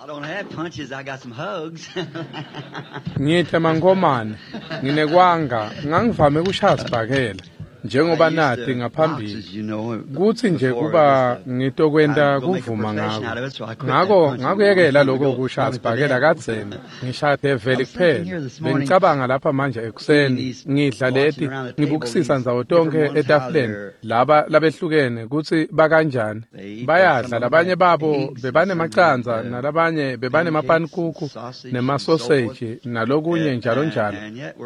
I don't have punches, I got some hugs. Ngithe mankomane, nginekwanga, ngangivame kushaya sibhakela njengoba nati ngaphambili kutsi nje kuba ngitokwenta kuvuma ngako. Ngako ngakuyekela lokho kushaya sibhakela kadzeni, ngishaya develi kuphela. Bengicabanga lapha manje ekuseni, ngidla leti, ngibukisisa ndzawo tonkhe etafuleni, laba labehlukene kutsi bakanjani. Bayadla, labanye babo bebanemacandza, nalabanye bebanemapanikuku, nemasoseji, nalokunye njalo njalo.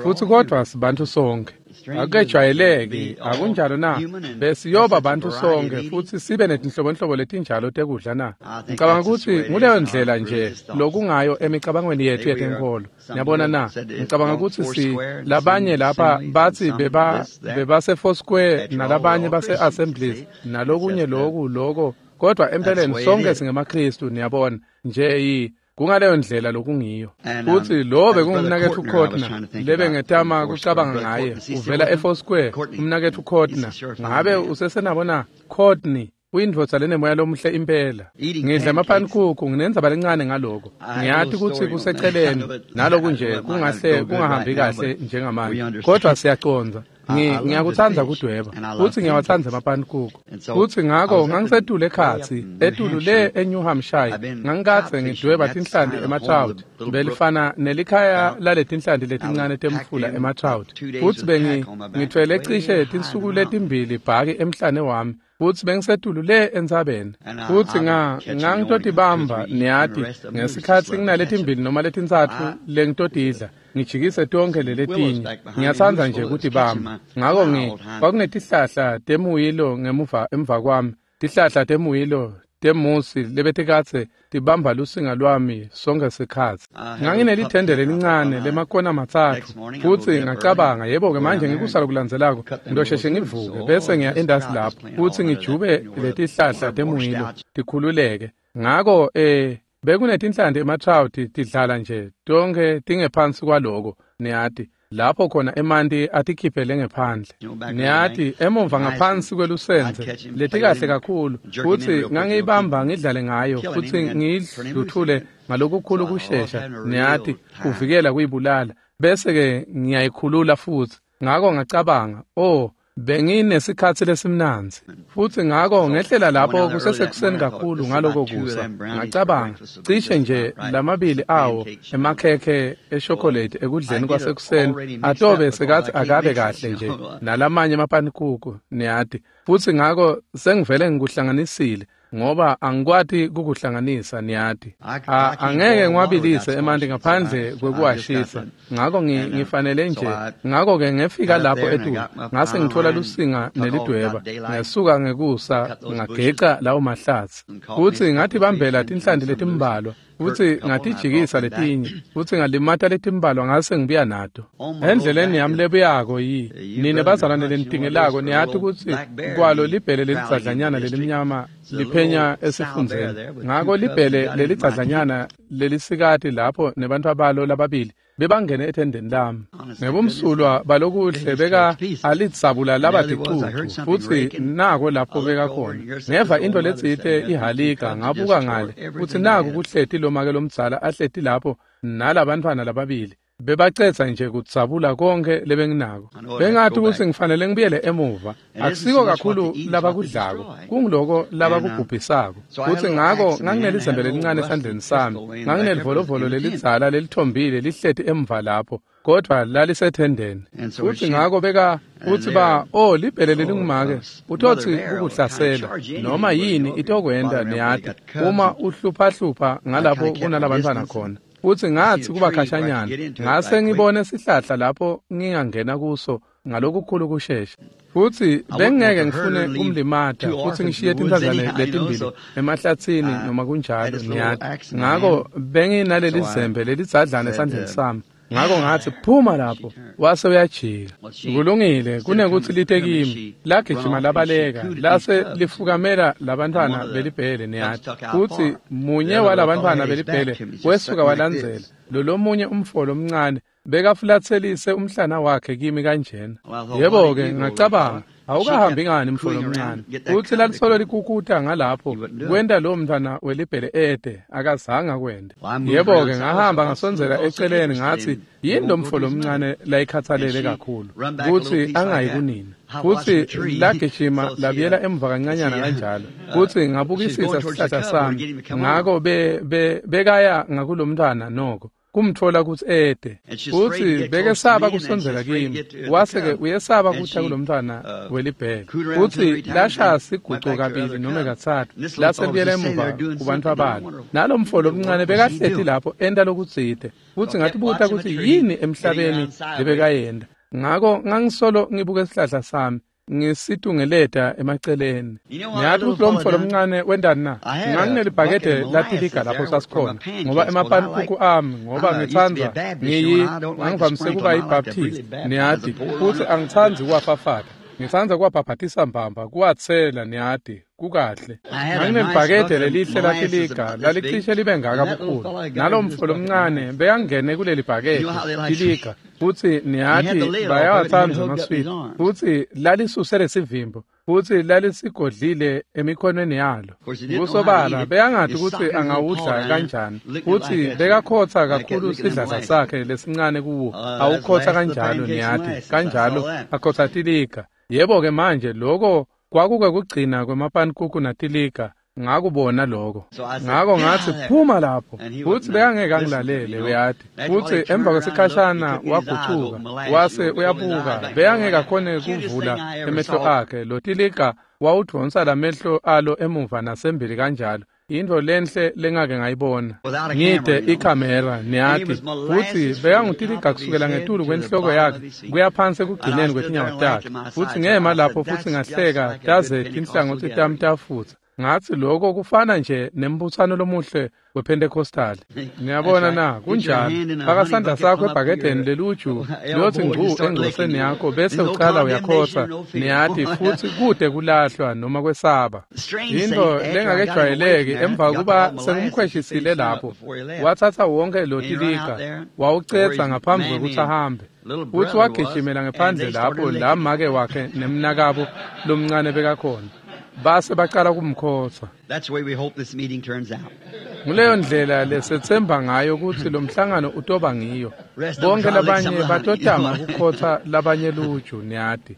Futsi kodvwa sibantu sonkhe. Akujwayeleki, akunjalo na? Besiyoba bantu sonke futsi sibe netinhlobonhlobo letinjalo tekudla na? Ngicabanga kutsi nguleyo ndlela nje lokungayo emicabangweni yethu yetenkholo. Niyabona na? Ngicabanga kutsi si labanye lapha batsi bebase Foursquare nalabanye base Assemblies nalokunye loku loko, kodwa empeleni sonke singemaKristu, niyabona nje kungaleyo ndlela lokungiyo. Futsi lo bekungumnaketfu Courtney lebengetama kucabanga ngaye, uvela eFoursquare, umnaketfu Courtney. Ngabe usesenabo na? Courtney uyindvodza lenemoya lomuhle impela. Ngidla emapanikuku, nginendzaba lencane ngaloko. Ngiyati kutsi kuseceleni naloku nje kungahle kungahambi kahle njengamanje, kodwa siyacondza. Ngiyakutsandza kudweba futsi ngiyawatsandza emapanikuku. Futsi ngako ngangisetulu ekhatsi etulu le eNew Hampshire, ngangikadze ngidweba tinhlanti ematrout, belifana nelikhaya laletinhlanti letincane temfula ematrout. Futsi bengithwele cishe tinsuku letimbili bhaki emhlane wami, futsi bengisetulu le entsabeni. Futsi ngangitotibamba, niyati, ngesikhatsi nginaletimbili noma letintsatfu lengitotidla, ngijikise tonkhe leletinye. Ngiyatsandza nje kutibamba. Ngako kwakunetihlahla temuyilo ngemuva emva kwami, tihlahla temuyilo temusi lebetikadze tibamba lusinga lwami sonke sikhatsi. Nganginelithende lelincane lemakona matsatfu, futsi ngacabanga, yebo-ke manje ngikusa lokulandzelako ngidosheshe ngivuke bese ngiya endasi lapho futsi ngijube letihlahla temuyilo tikhululeke. Ngako bekunetinhlanti ematrout tidlala nje tonkhe tingephansi kwaloko, niyati, lapho khona emanti atikhiphele ngephandle. Niyati, emuva ngaphansi kwelusendze letikahle kakhulu, futsi ngangiyibamba ngidlale ngayo futsi ngiyidluthule ngalokukhulu kushesha, niyati, kuvikela kuyibulala, bese-ke ngiyayikhulula futsi. Ngako ngacabanga, benginesikhatsi lesimnandzi. Futsi ngako ngehlela lapho kusesekuseni kakhulu ngaloko kusa. Ngacabanga, cishe nje lamabili awo emakhekhe eshokolate ekudleni kwasekuseni atobe sekathi akabe kahle nje nalamanye emapanikuku, niyati. Futsi ngako sengivele ngikuhlanganisile, ngoba angikwati kukuhlanganisa, niyati. Angeke ngiwabilise emanti ngaphandle kwekuwashisa. Ngako ngifanele nje. Ngako-ke ngefika lapho etulu, ngase ngithola lusinga nelidweba, ngesuka ngekusa ngageca lawo mahlatsi. Futsi ngatibambela tinhlanti letimbalwa, futsi ngatijikisa letinye, futsi ngalimata letimbalwa ngase ngibuya nato. Endleleni yami lebuyako nine bazalwane lenitingelako, niyati kutsi kwalo libhele lelidzadlanyana lelimnyama liphenya esifundzeni. Ngako libhele lelidzadlanyana lelisikati lapho nebantfwabalo lababili bebangene ethendeni lami. Ngebumsulwa balokuhle beka alitsabula laba ticucu, futsi nako lapho beka khona. Ngeva into letsite ihalika, ngabuka ngale, futsi naku kuhleti lomake lomdzala ahleti lapho nalabantfwana lababili. Bebacetsa nje kudzabula konke lebenginako. Bengathi kutsi ngifanele ngibuyele emuva. Akusiko kakhulu labakudlako, kungiloko labakubhubhisako. Futsi ngako nganginelizembe lelincane esandleni sami, nganginelivolovolo lelidzala lelithombile lihleti emva lapho, kodvwa lalisethendeni. Futsi ngako beka futsi libhele lelingumake utotsi kukuhlasela noma yini itokwenta, niyati, uma uhluphahlupha ngalapho kunalabantfwana khona. Futsi ngatsi kuba khashanyana, ngase ngibone sihlahla lapho ngingangena kuso ngalokukhulu kushesha. Futsi bengingeke ngifune kumlimata futsi ngishiye tinhlanzane letimbili emahlatsini noma kunjalo, niyati. Ngako benginaleli zembe lelidzadlana esandleni sami. Ngako ngatsi, phuma lapho, wase uyajika. Kulungile, kunekuthi lite kimi, lagijima labaleka, lase lifukamela labantfwana belibhele, niyati. Futsi munye walabantfwana belibhele wesuka walandzela, lolomunye umfo lomncane bekafulatselise umhlana wakhe kimi kanjena. Yebo-ke, ngacabanga, Awukahambi ngani mfo lomncane? Futsi lalisolo likukuta ngalapho kwenta lowo mntfwana welibhele ede, akazange akwente. Yebo-ke, ngahamba ngasondzela eceleni ngatsi, yini lo mfo lomncane layikhatsalele kakhulu kutsi angayi kunina? Futsi lagijima labuyela emuva kancanyana kanjalo, futsi ngabukisisa sihlahla sami. Ngako bekaya ngakulomntfwana noko kumtfola kutsi ede, futsi bekesaba kusondzela kimi, wase-ke uyesaba kuta kulomntfwana welibhele. Futsi lashaya siguco kabili nome katsatfu, lasebuyela emuva kubantfu balo. Nalo mfo lomncane bekahleti lapho enta lokutsite, futsi ngatibuta kutsi yini emhlabeni lebekayenta. Ngako ngangisolo ngibuke sihlahla sami ngisitungeleta emaceleni. Ngiyathi kutsi lo mfo lomncane wentani na? Nganginelibhakede latiliga lapho sasikhona, ngoba emapanikuku ami, ngoba ngitsandza ngangivamise kuba yiBaptist, niyati, futsi angitsandzi kuwafafata. Ngitsandza kuwabhabhatisa mbamba, kuwatsela, niyati, kukahle. Nganginelibhakede lelihle latiliga, lalicishe libe ngaka bukhulu. Nalo mfo lomncane bekangene kuleli bhakede tiliga, futsi niyati bayawatsandza amaswidi, futsi lalisuse lesivimbo, futsi lalisigodlile emikhonweni yalo. Kusobala bekangati kutsi angawudla kanjani, futsi bekakhotsa kakhulu sidladla sakhe lesincane kuwo, awukhotsa kanjalo, niyati, kanjalo akhotsa tiliga. Yebo-ke manje lokho kwakuke kugcina kwemapanikuku natiliga, ngakubona lokho. Ngako ngatsi, phuma lapho, futsi bekangeke angilalele, uyati. Futsi emva kwesikhashana wagucuka, wase uyabuka, bekangeke akhone kuvula emehlo akhe. Lo tiliga wawudvonsa lamehlo alo emuva nasembili kanjalo. Intfo lenhle lengake ngayibona. Ngide ikhamera, niyati, futsi bekangutiliga kusukela ngetulu kwenhloko yakhe kuya phansi ekugcineni kwetinyawo takhe. Futsi ngema lapho futsi ngahleka taze tinhlangotsi tami tafutsa. Ngatsi lokho kufana nje nembutsano lomuhle wePentecostal. Niyabona na, kunjalo. Faka sandla sakho ebhakedeni leluju, liyotsi ngcu engcoseni yakho, bese ucala uyakhotsa, niyati, futsi kude kulahlwa noma kwesaba. Intfo lengakejwayeleki, emva kuba sengumkhweshisile lapho, watsatsa wonke lo tiliga, wawucedza ngaphambi kwekutsi ahambe. Futsi wagijimela ngephandle lapho la make wakhe nemnakabo lomncane bekakhona. Base bacala kumkhotsa. Nguleyo ndlela lesethemba ngayo kutsi lo mhlangano utoba ngiyo. Bonke labanye batotama kukhotsa labanye luju, niyati.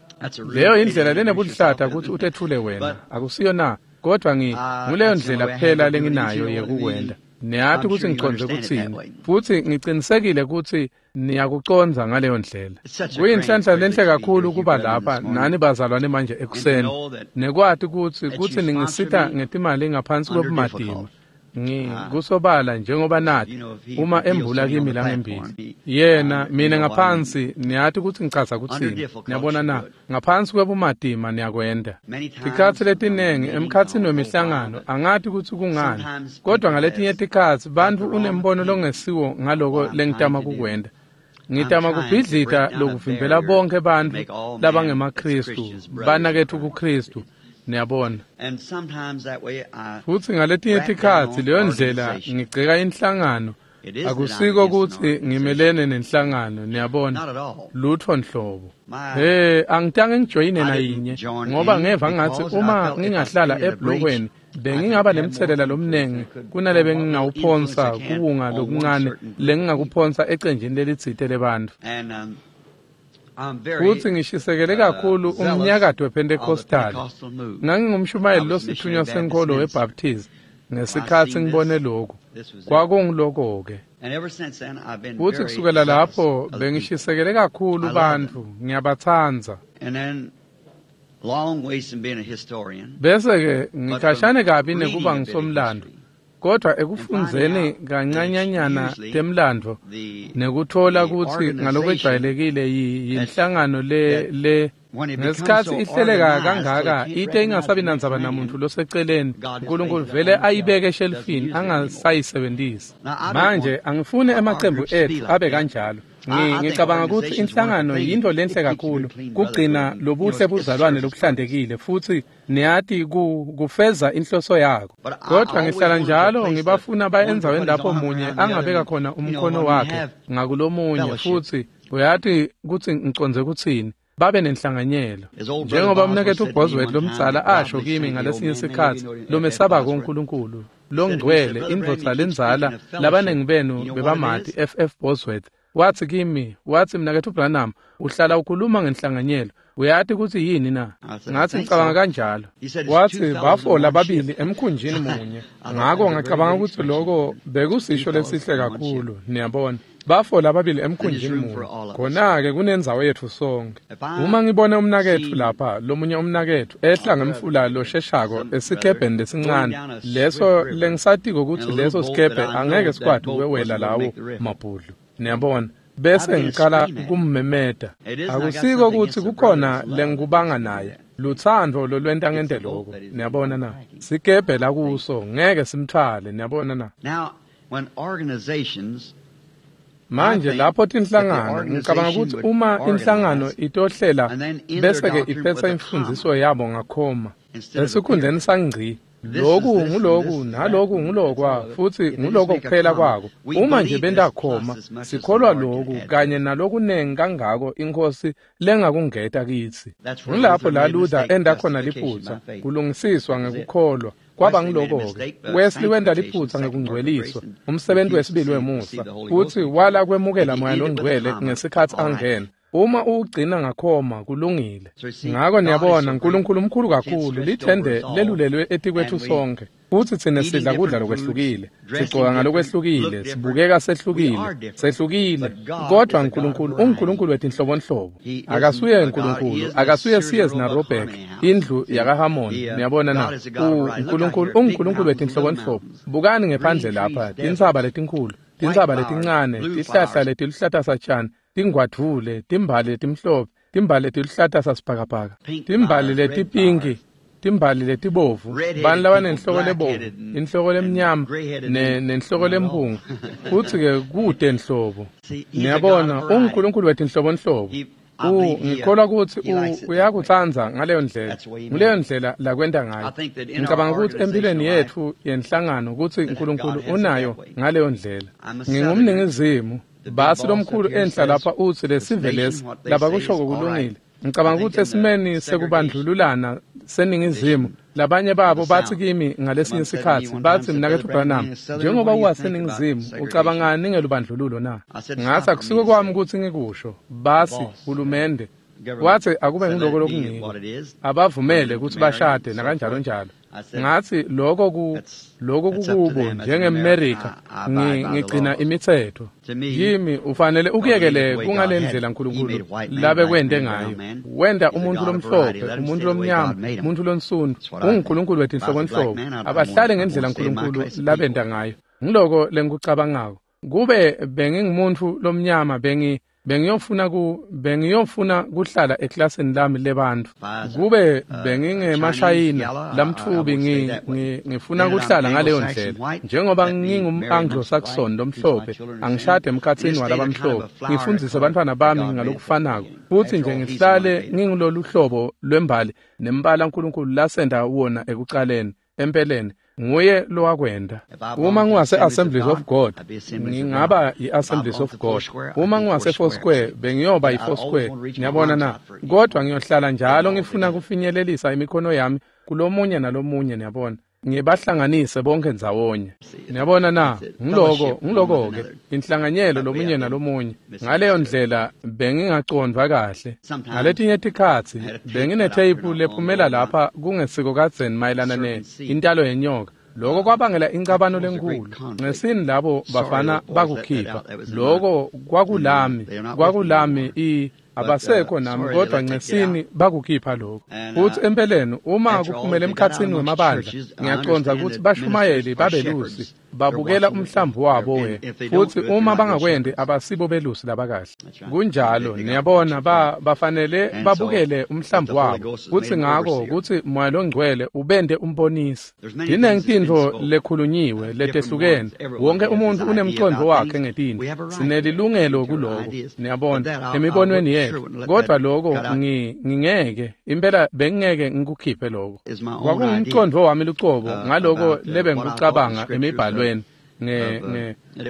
Leyo indlela lenebuhlata kutsi utetfule wena, akusiyo na? Kodwa nguleyo ndlela kuphela lenginayo yekukwenta. Niyati kutsi ngicondze kutsini, futsi ngicinisekile kutsi niyakucondza ngaleyo ndlela. Kuyinhlanhla lenhle kakhulu kuba lapha nani bazalwane manje ekuseni, nekwati kutsi ningisita ngetimali ngaphansi kwebumatima. Kusobala njengoba nathi uma embula kimi langembili, yena mina ngaphansi, niyati kutsi ngichaza kutsini. Niyabona na, ngaphansi kwebumatima niyakwenta. Tikhatsi letinengi emkhatsini wemihlangano angati kutsi kungani, kodwa ngaletinye tikhatsi bantfu unembono longesiwo ngaloko lengitama kukwenta. Ngitama kubhidlita lokuvimbela bonke bantfu labangemaKhristu, banaketfu kuKhristu. Niyabona. Futsi ngaletinye tikhatsi leyo ndlela ngigceka inhlangano, akusiko kutsi ngimelene nenhlangano, niyabona, lutfo nhlobo. Angitange ngijoyine nayinye, ngoba ngeva ngatsi uma ngingahlala eblokweni bengingaba nemtselela lomnengi kunale bengingawuphonsa kuwunga lokuncane lengingakuphonsa ecenjini lelitsite lebantfu. Futsi ngishisekele kakhulu umnyakato wePentecostal. Ngangingumshumayeli losithunywa senkholo weBaptist ngesikhatsi ngibone lokhu. Kwakungiloko-ke. Futsi kusukela lapho bengishisekele kakhulu bantfu, ngiyabatsandza. Bese-ke ngikhashane kabi nekuba ngisomlando, kodwa ekufundzeni kancanyanyana temlandvo nekutfola kutsi ngalokwejwayelekile yinhlangano le ngesikhatsi ihleleka kangaka ite ingasabi nandzaba namuntu loseceleni, uNkulunkulu vele ayibeke eshelfini angasayisebentisi. Manje angifuni emacembu etfu abe kanjalo. Ngicabanga kutsi inhlangano yintfo lenhle kakhulu kugcina lobuhle buzalwane lobuhlantekile, futsi niyati kufeza inhloso yakho. Kodwa ngihlala njalo ngibafuna baye endzaweni lapho munye angabeka khona umkhono wakhe ngakulomunye, futsi uyati kutsi ngicondze kutsini. babe nenhlanganyelo. Njengoba umnaketfu Bosworth lomdzala asho kimi ngalesinye sikhatsi, lomesabako uNkulunkulu, longcwele, indvodza lendzala, labaningi benu bebamati F.F. Bosworth, watsi kimi, watsi mnaketfu Branham, uhlala ukhuluma ngenhlanganyelo, uyati kutsi yini na? Ngatsi ngicabanga kanjalo. Watsi bafola babili emkhunjini munye. Ngako ngacabanga kutsi loko bekusisho lesihle kakhulu, niyabona. Bafola babili emkhunjini munye. Khona-ke kunendzawo yetfu sonke. Uma ngibona umnaketfu lapha, lomunye umnaketfu ehla ngemfula losheshako esikebheni lesincane, leso lengisatiko kutsi leso sikebhe angeke sikwati ukwewela lawo mabhudlu. Niyabona? Bese ngicala kummemeta. Akusiko kutsi kukhona lengikubanga naye. Lutsandvo lolwenta ngente lokho. Niyabona na? Sikebhe la kuso ngeke simthwale, niyabona na? Manje lapho tinhlangano, ngicabanga kutsi uma inhlangano itohlela bese-ke iphetsa imfundziso yabo ngakhoma esikhundleni sangci, loku nguloku naloku ngulokwa futsi nguloko kuphela kwako. Uma nje benta khoma, sikholwa loku kanye nalokunengi kangako iNkhosi lengakungeta kitsi. Ngulapho la Luther enda khona liphutsa, kulungisiswa ngekukholwa. Kwaba ngiloko-ke. Wesley wenta liphutsa ngekungcweliswa, umsebenzi wesibili wemusa, futsi wala kwemukela Moya loNgcwele ngesikhatsi angena. Uma uwugcina ngakhoma kulungile. Ngako niyabona, uNkulunkulu mkhulu kakhulu, lithende lelulelwe etikwetfu sonke. Futsi tsine sidla kudla lokwehlukile, sigcoka ngalokwehlukile, sibukeka sehlukile, sehlukile. Kodwa uNkulunkulu unguNkulunkulu wetinhlobonhlobo. Akasuye uNkulunkulu, akasuye Sears naRobeck, indlu yakaHamon. Niyabona na? uNkulunkulu unguNkulunkulu wetinhlobonhlobo. Bukani ngephandle lapha, tintsaba letinkhulu, tintsaba letincane, tihlahla letiluhlata satjani, tingwadvule, timbali letimhlophe, timbali letiluhlata sasibhakabhaka, timbali letipinki, timbali letibovu, bani labanenhloko lebovu, inhloko lemnyama, nenhloko lempunga, futsi-ke kute nhlobo. Niyabona, unguNkulunkulu wetinhlobonhlobo. Ngikholwa kutsi uyakutsandza ngaleyo ndlela. Nguleyo ndlela lakwenta ngayo. Ngicabanga kutsi empilweni yetfu yenhlangano kutsi uNkulunkulu unayo ngaleyo ndlela. Ngingumningizimu. Basi lomkhulu enhla lapha utsi lesive lesi labakushoko kulungile. Ngicabanga kutsi esimeni sekubandlululana seningizimu, labanye babo batsi kimi ngalesinye sikhatsi, batsi mnaketfu Branham, njengoba uwaseningizimu, ucabangani ngelubandlululo na? Ngatsi akusiko kwami kutsi ngikusho, basi hulumende. Watsi akube ngiloko lokungiko, abavumele kutsi bashade nakanjalo njalo. Ngatsi lokho kukubo njengeMerika, ngigcina imitsetfo. Kimi ufanele ukuyekele kungalendlela uNkulunkulu labekwente ngayo. Wenta umuntu lomhlophe, umuntu lomnyama, umuntu lonsundu, unguNkulunkulu wetinhlobonhlobo. Abahlale ngendlela uNkulunkulu labenta ngayo. Ngiloko lengikucabangako. Kube bengingumuntu lomnyama bengiyofuna kuhlala eklasini lami lebantfu. Kube bengingemashayina lamtfubi ngifuna kuhlala ngaleyo ndlela. Njengoba ngingum-Anglo-Saxon lomhlophe, angishade emkhatsini walabamhlophe, ngifundzise bantfwana bami ngalokufanako. Futsi nje ngihlale ngingulolu hlobo lwembali nembala uNkulunkulu lasenda wona ekucaleni. Empeleni nguye lowakwenta. Uma ngiwase-Assemblies of God, ngingaba i-Assemblies of God. Uma ngiwase-Foursquare, bengiyoba i-Foursquare. Niyabona na? Kodwa ngiyohlala njalo ngifuna kufinyelelisa imikhono yami kulomunye nalomunye, niyabona. Ngibahlanganise bonke ndzawonye. Niyabona na? Ngiloko-ke inhlanganyelo lomunye nalomunye. Ngaleyo ndlela bengingacondvwa kahle. Ngaletinye tikhatsi benginetheyiphu lephumela lapha kungesiko kadzeni mayelana ne intalo yenyoka. Loko kwabangela incabano lenkulu. Ngesini labo bafana bakukhipha. Loko kwakulami abasekho nami, kodwa ngesini bakukhipha lokho. Futhi empeleni uma kuphumela emkhatsini wemabandla, ngiyacondza kutsi bashumayeli babelusi babukela umhlambi wabo we. Futhi uma bangakwenti abasibo belusi labakahle. Kunjalo, niyabona, bafanele babukele umhlambi wabo. Kutsi ngako kutsi Moya loNgcwele ubente umbonisi. Tinengi tintfo lekhulunyiwe letehlukene. Wonke umuntu unemcondvo wakhe ngetintfo. Sinelilungelo kuloko, niyabona, emibonweni yetfu. Kodwa lokho ngingeke, impela bengingeke ngikukhiphe lokho. Kwakungumcondvo wami lucobo ngaloko lebengikucabanga emibhalweni.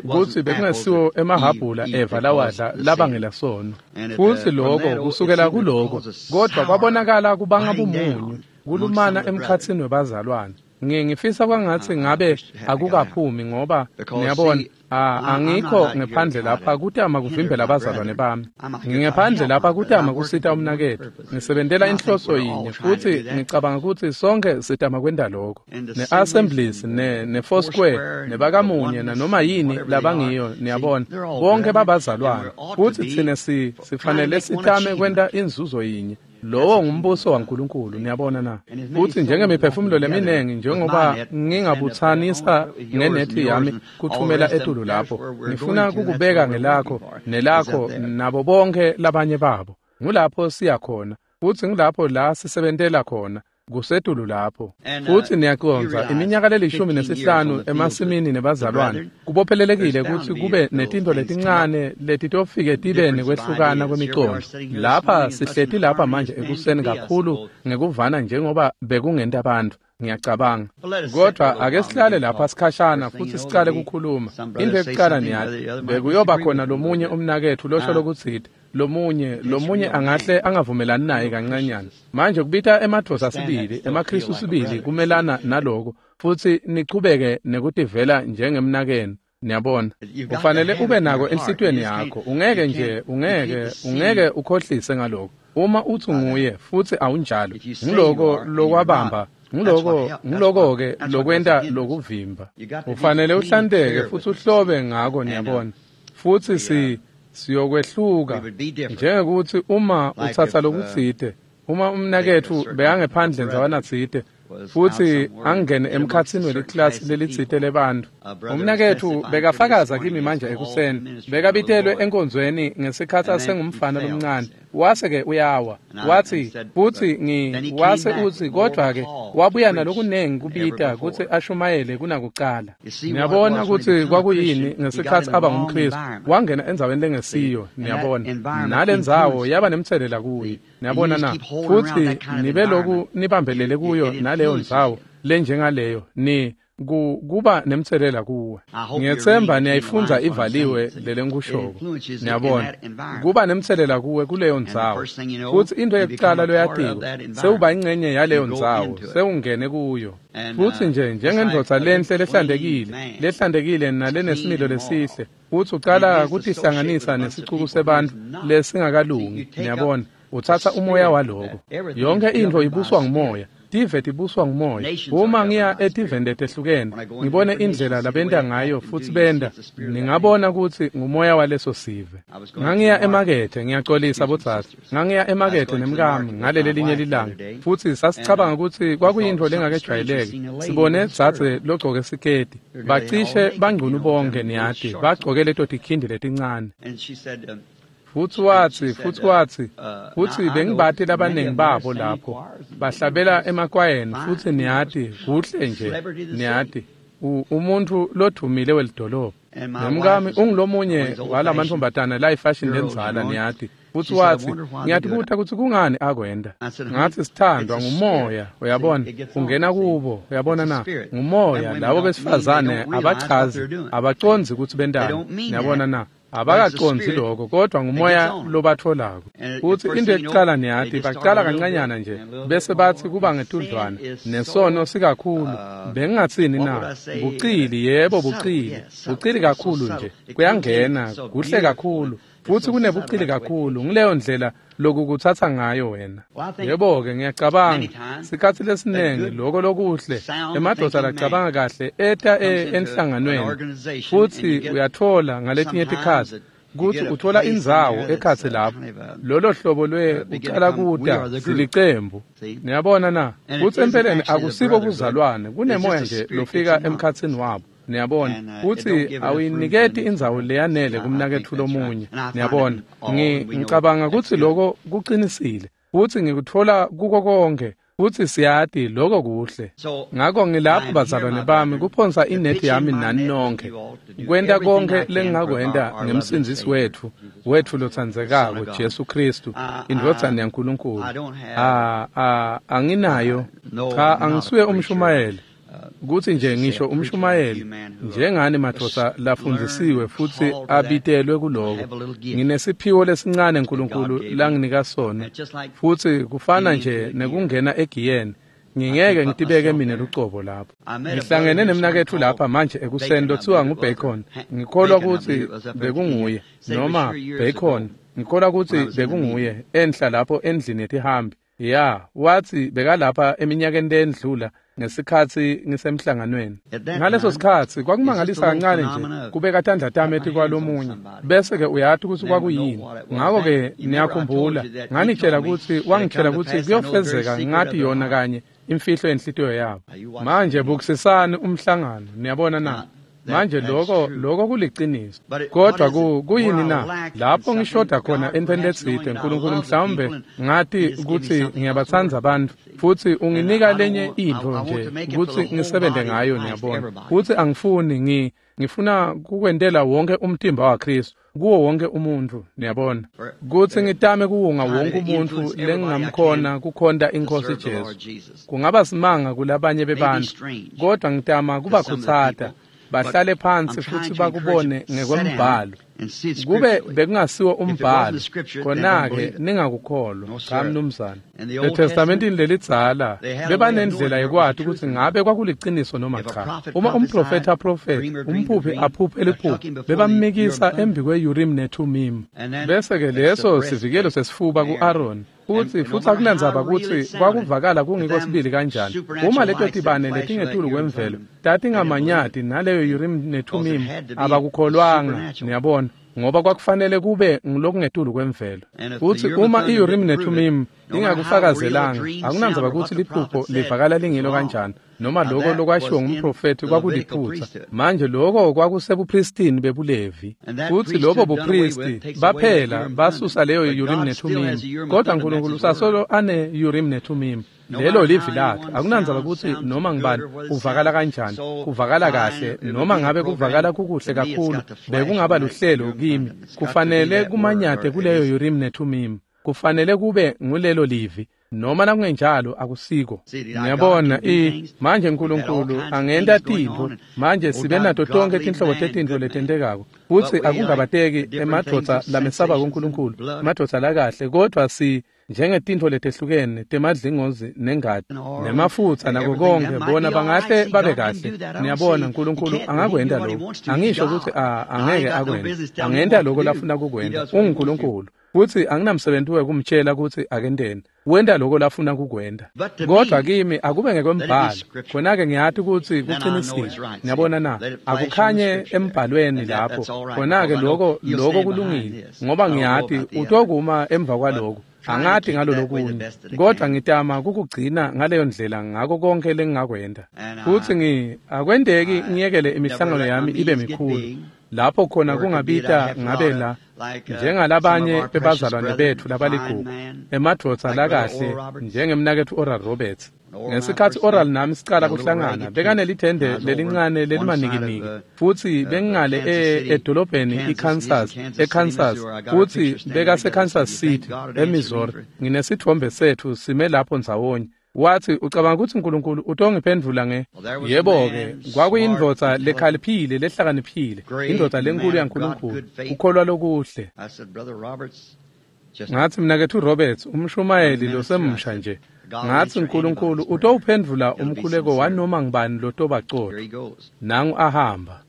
Kutsi bekungesiwo emahhabhula Eva lawadla labangela sono. Futsi lokho kusukela kuloko, kodvwa kwabonakala kubanga bumunyu, kulumana emkhatsini webazalwane. Ngifisa kwangatsi ngabe akukaphumi ngoba niyabona angikho ngephandle lapha kutama kuvimbela abazalwane bami. Ngingephandle lapha kutama kusita umnaketfu. Ngisebentela inhloso yinye futsi ngicabanga kutsi sonke sitama kwenta lokho. Ne-Assemblies ne-Foursquare nebakamunye nanoma yini labangiyo niyabona bonke babazalwane futsi tsine sifanele sitame kwenta inzuzo yinye. Lowo ngumbuso waNkulunkulu niyabona na. Futsi njengemiphefumulo leminengi njengoba ngingabutsanisa ngenethi yami kuthumela etulu lapho, ngifuna kukubeka ngelakho nelakho nabo bonke labanye babo. Ngulapho siya khona futsi ngulapho la sisebentela khona, kusetulu lapho. Futsi niyacondza iminyaka le15 emasimini nebazalwane kubophelelekile kutsi kube netintfo letincane letitofike tibe nekwehlukana kwemicondvo. Lapha sihleti lapha manje ekuseni kakhulu ngekuvana njengoba bekungenta bantfu, ngiyacabanga. Kodvwa ake sihlale lapha sikhashana futsi sicale kukhuluma. Into yekucala niyati, bekuyoba khona lomunye umnaketfu losho lokutsite, lomunye angahle angavumelani naye kancanyana. Manje kubita emadvodza sibili, emaKhristu sibili kumelana naloko, futsi nichubeke nekutivela njengemnakenu. Niyabona, ufanele ube nako enhlitiyweni yakho. Ungeke nje, ungeke ukhohlise ngaloko. Uma uthi nguye futsi awunjalo, ngiloko lokwabamba, ngiloko-ke lokwenta lokuvimba. Ufanele uhlanteke futsi uhlobe ngako niyabona. Futsi siyokwehluka njengekuthi uma utsatsa lokutsite, uma umnaketfu bekangephandle ndzawanatsite futsi angene emkhatsini weliklasi lelitsite lebantfu. Umnaketfu bekafakaza kimi manje ekuseni, bekabitelwe enkonzweni ngesikhatsi asengumfana lomncane, wase-ke uyawa. Watsi futsi wase utsi kodvwa-ke wabuya nalokunengi kubita kutsi ashumayele kunakucala. Niyabona kutsi kwakuyini ngesikhatsi aba ngumKhristu, wangena endzaweni lengesiyo, niyabona. Nalendzawo yaba nemtselela kuye, niyabona na. Futsi nibe loku nibambelele kuyo naleyo ndzawo lenjengaleyo ni kuba nemtselela kuwe. Ngiyethemba niyayifundza ivaliwe lelengikushoko. Niyabona, kuba nemtselela kuwe kuleyo ndzawo. Futsi into yekucala loyatiko, sewuba ingcenye yaleyo ndzawo, sewungene kuyo. Futsi nje njengendvodza lenhle lehlantekile nalenesimilo lesihle, futsi ucala kutihlanganisa nesicuku sebantfu lesingakalungi, niyabona. Utsatsa umoya waloko. Yonke intfo ibuswa ngumoya. Tive tibuswa ngumoya. Uma ngiya etiveni letehlukene, ngibone indlela labenta ngayo futsi benta, ningabona kutsi ngumoya waleso sive. Ngangiya emakethe, ngiyacolisa bodzadze. Ngangiya emakethe nemkami ngaleli linye lilanga, futsi sasicabanga kutsi kwakuyintfo lengakejwayeleki. Sibone dzadze logcoke siketi. Bacishe bangcunu bonke niyati, bagcoke leto tikhindi letincane. Futsi watsi, futsi bengibati labanengi babo lapho, bahlabela emakwayeni, futsi niyati, kuhle nje, niyati, umuntfu lodvumile welidolobha. Nemkami ungulomunye walamantombazana layifashini lendzala niyati. Futsi watsi, ngiyatibuta kutsi kungani akwenta. Ngatsi sithandwa ngumoya, uyabona, ungena kubo, uyabona na, ngumoya, labo besifazane abachazi, abacondzi kutsi bentani, niyabona na. Abakacondzi lokho, kodwa ngumoya lobatfolako. Futsi into yekucala niyati, bacala kancanyana nje, bese batsi kuba ngetudlwana, nesono sikakhulu. Bengingatsini na? Bucili, yebo bucili, bucili kakhulu nje, kuyangena, kuhle kakhulu. Futsi kunebucili kakhulu, nguleyo ndlela lokukutsatsa ngayo wena. Yebo-ke ngiyacabanga, sikhatsi lesinengi loko lokuhle, emadvodza lacabanga kahle eta enhlanganweni, futsi uyatfola ngaletinye tikhatsi kutsi utfola indzawo ekhatsi lapho, lolo hlobo lwe ucala kuta silicembu. Niyabona na? Futsi empeleni akusibo buzalwane, kunemoya nje lofika emkhatsini wabo. Niyabona, futsi awuyiniketi indzawo leyanele kumnaketfu lomunye. Niyabona, ngicabanga kutsi loko kucinisile, futsi ngikutfola kuko konke, futsi siyati loko kuhle. Ngako ngilapho bazalwane bami kuphonsa inethi yami nani nonke, kwenta konke lengingakwenta ngemsindzisi wetfu lotsandzekako Jesu Khristu, indvodzana yaNkulunkulu. Anginayo, cha, angisuye umshumayeli. Kutsi nje ngisho umshumayeli njengani madvodza lafundzisiwe futsi abitelwe kuloko. Nginesiphiwo lesincane uNkulunkulu langinika sona, futsi kufana nje nekungena egiyeni. Ngingeke ngitibeke mina lucobo lapho. Ngihlangene nemnaketfu lapha manje ekuseni lothiwa nguBacon. Ngikholwa kutsi bekunguye noma Bacon. Ngikholwa kutsi bekunguye enhla lapho endlini yetihambi. Ya, wathi bekalapha eminyakeni lendlula ngesikhatsi ngisemhlanganweni. Ngaleso sikhatsi kwakumangalisa kancane nje kubeka tandla tami etikwalomunye, bese ke uyati kutsi kwakuyini. Ngako ke niyakhumbula, nganitshela kutsi wangitshela kutsi kuyofezeka ngathi yona kanye imfihlo yenhlitiyo yabo. Manje bukisisani umhlangano, niyabona na? Manje lokho kuliciniso. Kodwa kuyini na? Lapho ngishoda khona entweni letsite, uNkulunkulu mhlawumbe ngathi kutsi ngiyabatsandza abantu futsi unginika lenye intfo nje kutsi ngisebente ngayo, niyabona. Futsi angifuni ngifuna kukwentela wonke umtimba waKristu kuwo wonke umuntu, niyabona. Kutsi ngitame kuwunga wonke umuntu lengingamkhona kukhonta iNkhosi Jesu. Kungaba simanga kulabanye bebantfu, kodwa ngitama kubakhutsata bahlale phansi futsi bakubone ngekwembhalo. Kube bekungasiwo umbhalo, khona-ke ningakukholwa. Cha mnumzane. ETestamentini lelidzala bebanendlela yekwati kutsi ngabe kwakuliciniso noma cha. Uma umprofethi aprofethi, umphuphi aphuphe liphupho, bebamikisa embi kwe-Urim neThumim. Bese-ke leso sivikelo sesifuba ku-Aaron. Futsi akunandzaba kutsi kwakuvakala kungiko sibili kanjani. Uma leto tibane letingetulu kwemvelo tatingamanyati naleyo Urim neThumim, abakukholwanga, niyabona, ngoba kwakufanele kube ngulokungetulu kwemvelo. Futsi uma i-Urim neThumim ingakufakazelanga, akunandzaba kutsi liphupho livakala lingilo kanjani noma lokho lokwashiwo ngumprofethi kwakuliphutsa. Manje lokho kwakusebupristini bebuLevi, futsi lobo bupristi baphela basusa leyo Urim neThumim, kodwa uNkulunkulu usasolo ane Urim neThumim. Lelo livi lakhe. Akunandzaba kutsi noma ngibani uvakala kanjani, kuvakala kahle noma ngabe kuvakala kukuhle kakhulu, bekungaba luhlelo kimi. Kufanele kumanyate kuleyo Urim neThumim. Kufanele kube ngulelo livi, noma nakungenjalo akusiko. Ngiyabona manje uNkulunkulu angenta tintfo. Manje sibe nato tonke tinhlobo tetintfo letentekako, futsi akungabateki emadvodza lamesaba kuNkulunkulu, emadvodza lakahle, kodwa si njengetintfo letehlukene temadlingozi nengati nemafutsa nako konke, bona bangahle babe kahle. Niyabona, uNkulunkulu angakwenta lokho. Angisho kutsi angeke akwente, angenta lokho lafuna kukwenta. UnguNkulunkulu, futsi anginamsebenzi wekumtshela kutsi akenteni. Wenta lokho lafuna kukwenta. Kodwa kimi akube ngekwembhalo, khona-ke ngiyati kutsi kucinisile. Niyabona na? Akukhanye embhalweni lapho, khona-ke lokho kulungile, ngoba ngiyati utokuma emva kwaloko. Angati ngalolokunye, kodwa ngitama kukugcina ngaleyo ndlela ngako konke lengingakwenta. Futsi akwenteki ngiyekele imihlangano yami ibe mikhulu, lapho khona kungabita ngabe la njengalabanye bebazalwane betfu labaligugu, emadvodza lakahle njengemnaketfu Oral Roberts. Ngesikhatsi Oral nami sicala kuhlangana, bekanelithende lelincane lelimanikiniki, futsi bengingale edolobheni iKansas, eKansas, futsi bekase Kansas City, eMissouri. Nginesithombe setfu sime lapho ndzawonye. Wathi, ucabanga kutsi uNkulunkulu utongiphendvula nge? Yebo-ke, kwakuyindvodza lekhaliphile lehlakaniphile, indvodza lenkulu yaNkulunkulu, kukholwa lokuhle. Ngathi, mnaketfu Roberts, umshumayeli losemusha nje, ngathi uNkulunkulu utowuphendvula umkhuleko wanoma ngibani lotobacotfo. Nangu ahamba.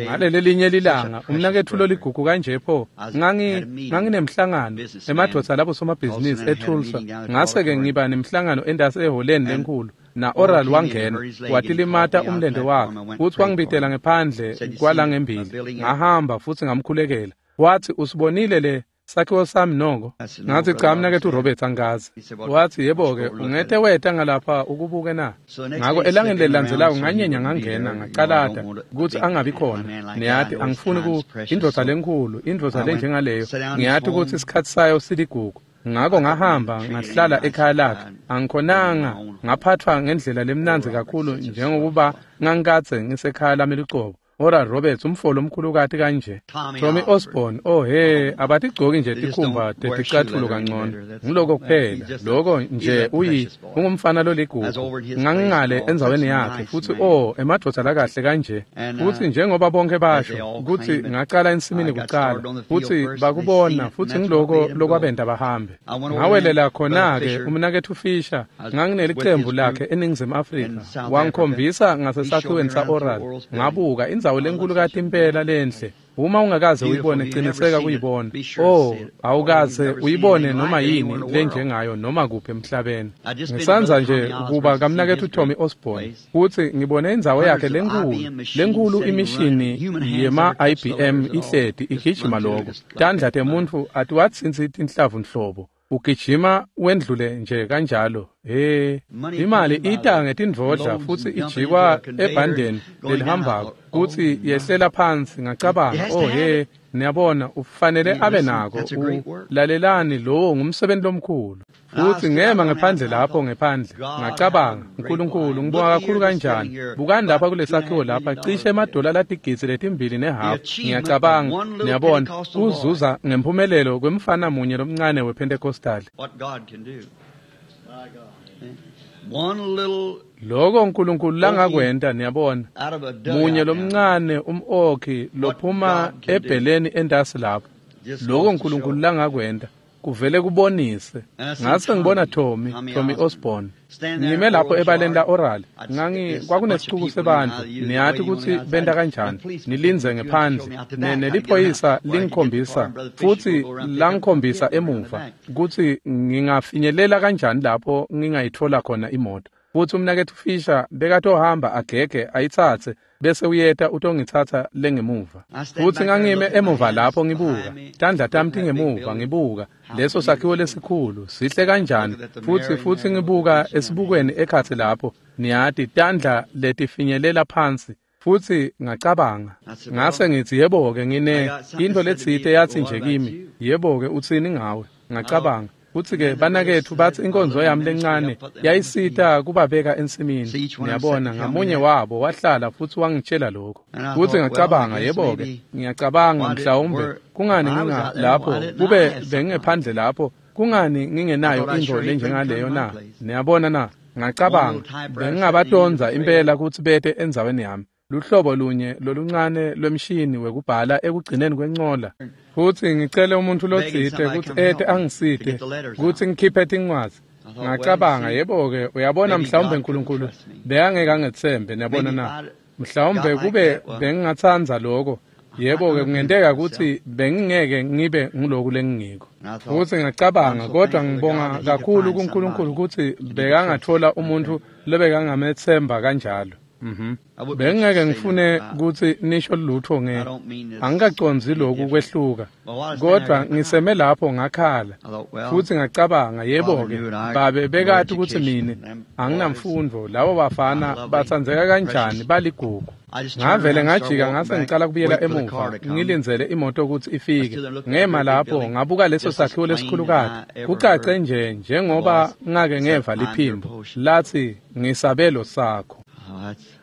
Ngaleli linye lilanga, umnaketfu loligugu kanje pho, nganginemhlangano emadvodza labo somabhizinisi eTulsa. Ngase-ke ngiba nemhlangano endasi eholeni lenkhulu. Na Oral wangena, watilimata umlente wakhe, futsi wangibitela ngephandle kwalangembili. Ngahamba futsi ngamkhulekela. Wathi, usibonile le sakhiwo sami noko? Ngathi, cha mnaketfu Roberts, angazi. Wathi, yebo-ke, ungete weta ngalapha ukubuke na? Ngako elangeni lelilandzelako nganyenya ngangena ngacalata kutsi angabi khona. Niyati angifuni indvodza lenkhulu, indvodza lenjengaleyo. Ngiyati kutsi isikhatsi sayo siligugu. Ngako ngahamba ngahlala ekhaya lakhe. Angikhonanga, ngaphathwa ngendlela lemnandzi kakhulu njengokuba ngangikadze ngisekhaya lami lucobo. Oral Roberts umfolo omkhulukati kanje, Tommy Osborne, oh he, abatigcoki nje tikhumba teticatfulo kangcono, ngiloko kuphela, loko nje ungumfana loligugu. Ngangingale endzaweni yakhe futhi oh emadvodza lakahle kanje, futhi njengoba bonke basho ukuthi ngacala ensimini kucala, futhi bakubona futhi ngiloko lokwabenta bahambe. Ngawelela khona-ke umnaketfu Fisher, nganginelicembu lakhe eNingizimu Afrika, wangikhombisa ngasesakhiweni sa-Oral, ngabuka indzawo lenkulukati impela lenhle. Uma ungakaze uyibone, qiniseka kuyibona. Oh, awukaze uyibone noma yini lenjengayo noma kuphi emhlabeni. Ngisanza nje kuba kamnaketfu Tommy Osborne futhi ngibone indzawo yakhe lenkulu imishini yema IBM ihleti igijima lokho. Tandla temuntfu atiwatsintsi tinhlavu nhlobo. Ugijima wendlule nje kanjalo. He, imali ita ngetindvodla futhi ijikwa ebhandeni lelihambako kuthi yehlela phansi. Ngacabanga, oh he, niyabona ufanele abe nako. Lalelani, lowo ngumsebenzi lomkhulu. Futhi ngema ngephandle lapho ngephandle, ngacabanga, uNkulunkulu ngibonga kakhulu kanjani. Bukani lapha kulesakhiwo lapha, cishe emadola latigidzi leti-2.5. Ngiyacabanga, niyabona, kuzuza ngempumelelo kwemfana munye lomncane wePentecostal. Lokho uNkulunkulu langakwenta, niyabona, munye lomncane umokhi lophuma ebheleni entasi lapho. Lokho uNkulunkulu langakwenta kuvele kubonise. Ngase ngibona Tommy Osborne ngime lapho ebaleni la Oral. Kwakunesicuku sebantu, niyati ukuthi benta kanjani, nilindze ngephandle. Neliphoyisa lingikhombisa futhi langikhombisa emuva ukuthi ngingafinyelela kanjani lapho ngingayithola khona imoto. Futhi umnaketfu Fisher bekatohamba agege ayitsatse bese uyeta utongitsatsa lengemuva. Futhi ngangime emuva lapho ngibuka, tandla tami tingemuva ngibuka leso sakhiwo lesikhulu sihle kanjani, futhi ngibuka esibukweni ekhatsi lapho, niyati, tandla letifinyelela phansi. Futhi ngacabanga, ngase ngithi, yebo-ke, ngine into letsite yathi nje kimi, yebo-ke, utsini ngawe? Ngacabanga, futhi-ke banaketfu bathi inkonzo yami lencane yayisita kubabeka ensimini. Niyabona, ngamunye wabo wahlala futhi wangitshela lokho. Futhi ngacabanga, yebo-ke, ngiyacabanga mhlawumbe kungani nginga lapho, kube bengingephandle lapho, kungani ngingenayo intfo lenjengaleyo na? Niyabona na? Ngacabanga, bengingabatonza impela kutsi bete endzaweni yami. Luhlobo lunye loluncane lwemshini wekubhala ekugcineni kwencola. Futhi ngicele umuntu lotsite kutsi ete angisite kutsi ngikhiphe tincwadzi. Ngacabanga, yebo-ke, uyabona, mhlawumbe uNkulunkulu bekangeke angetsembe, niyabona na? Mhlawumbe kube bengingatsandza lokho, yebo-ke, kungenteka kutsi bengingeke ngibe nguloku lengingiko. Futhi ngacabanga, kodwa ngibonga kakhulu kuNkulunkulu kutsi bekangathola umuntu lobekangamethemba kanjalo. Bengingeke ngifune kutsi nisho lutho nge angikacondzi lokhu kwehluka, kodwa ngiseme lapho ngakhala futhi ngacabanga, yebo-ke, babe bekati kutsi mine anginamfundvo, labo bafana batsandzeka kanjani, baligugu. Ngavele ngajika ngase ngicala kubuyela emuva, ngilindzele imoto kutsi ifike. Ngema lapho ngabuka leso sakhiwo lesikhulukati, kucace nje njengoba ngake ngeva liphimbo lathi, ngisabelo sakho.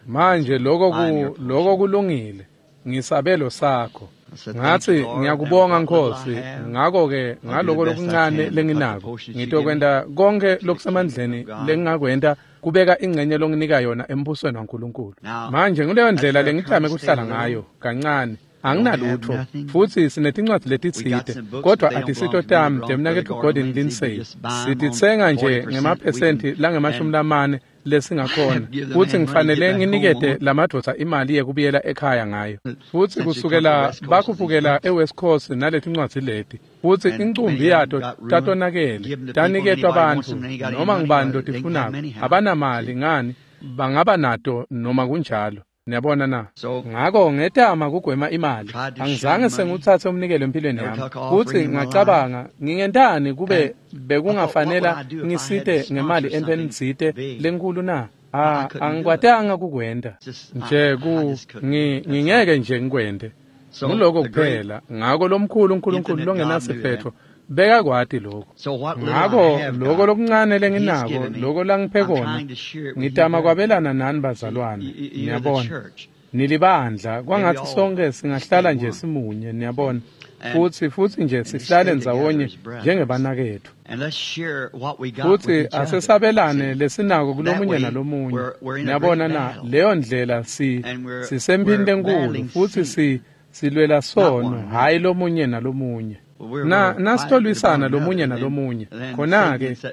Manje lokho kulungile, ngisabelo sakho. Ngathi, ngiyakubonga Nkosi, ngakho-ke ngaloko lokuncane lenginako ngitokwenta konke lokusemandleni lengingakwenta kubeka ingcenye longinika yona embusweni waNkulunkulu. Manje nguleyo ndlela lengitame kuhlala ngayo kancane. Anginalutho, futhi sinetincwadzi letitsite, kodwa atisito tami temnaketfu Gordon Lindsay. Sititsenga nje ngemaphesenti langama-40 lesingakhona, futhi ngifanele nginikete lamadvodza imali yekubuyela ekhaya ngayo. Futhi kusukela bakhuphukela eWest Coast naletincwadzi leti, futhi incumbi yato tatonakele, taniketwa bantfu noma ngibani lotifunako. Abanamali ngani, bangaba nato noma kunjalo. Niyabona na? Ngako ngetama kugwema imali. Angizange senguthathe umnikelo empilweni yami. Futhi ngacabanga, ngingentani kube bekungafanela ngisite ngemali entweni tsite lenkulu na? Angikwatanga kukwenta. Nje ngingeke nje ngikwente. Nguloko kuphela. Ngako lomkhulu uNkulunkulu longenasiphetho bekakwati lokho. Ngako lokho lokuncane lenginako, lokho langiphe kona, ngitama kwabelana nani bazalwane. Niyabona. Nilibandla kwangathi sonke singahlala nje simunye, niyabona, futhi nje sihlale ndzawonye njengebanaketfu, futhi asesabelane lesinako kulomunye nalomunye, niyabona na. Leyo ndlela sisemphini lenkulu, futhi silwela sono, hhayi lomunye nalomunye. Nasitolwisana lomunye nalomunye,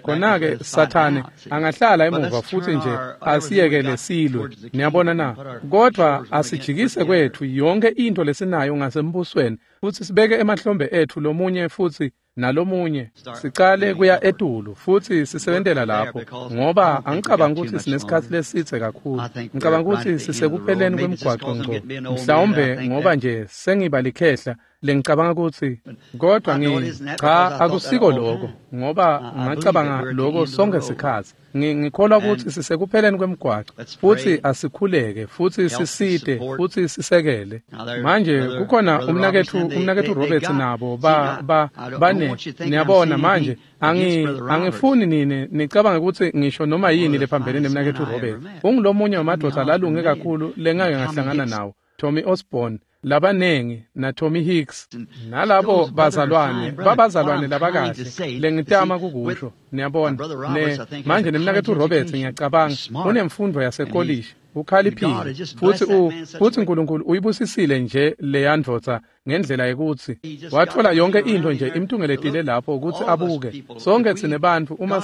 khona-ke Sathane angahlala emuva futhi nje asiyekele silwe, niyabona na. Kodwa asijikise kwethu yonke into lesinayo ngasembusweni, futhi sibeke emahlombe ethu lomunye futhi nalomunye, sicale kuya etulu futhi sisebentela lapho, ngoba angicabangi ukuthi sinesikhathi lesitse kakhulu. Ngicabanga ukuthi sisekupheleni kwemgwaqo ngco, mhlawumbe ngoba nje sengiba likhehla lengicabanga ukuthi, kodwa cha, akusiko lokho, ngoba ngacabanga lokho sonke sikhathi. Ngikholwa ukuthi sisekupheleni kwemgwaqo, futhi asikhuleke futhi sisite futhi sisekele. Manje kukhona umnakethu Roberts nabo bane, niyabona. Manje angifuni nine nicabange ukuthi ngisho noma yini lephambene nemnakethu Roberts. Ungulomunye wamadoda lalunge kakhulu lengake ngahlangana nawo, Tommy Osborne labanengi na Tommy Hicks nalabo bazalwane, babazalwane labakahle lengitama kukusho, niyabona. Manje nemnakethu Roberts ngiyacabanga unemfundo yasekolishi, ukhaliphile, futhi uNkulunkulu uyibusisile nje leya ndvodza ngendlela yekuthi wathola yonke into nje imtungeletile lapho ukuthi abuke. Sonke thine bantfu uma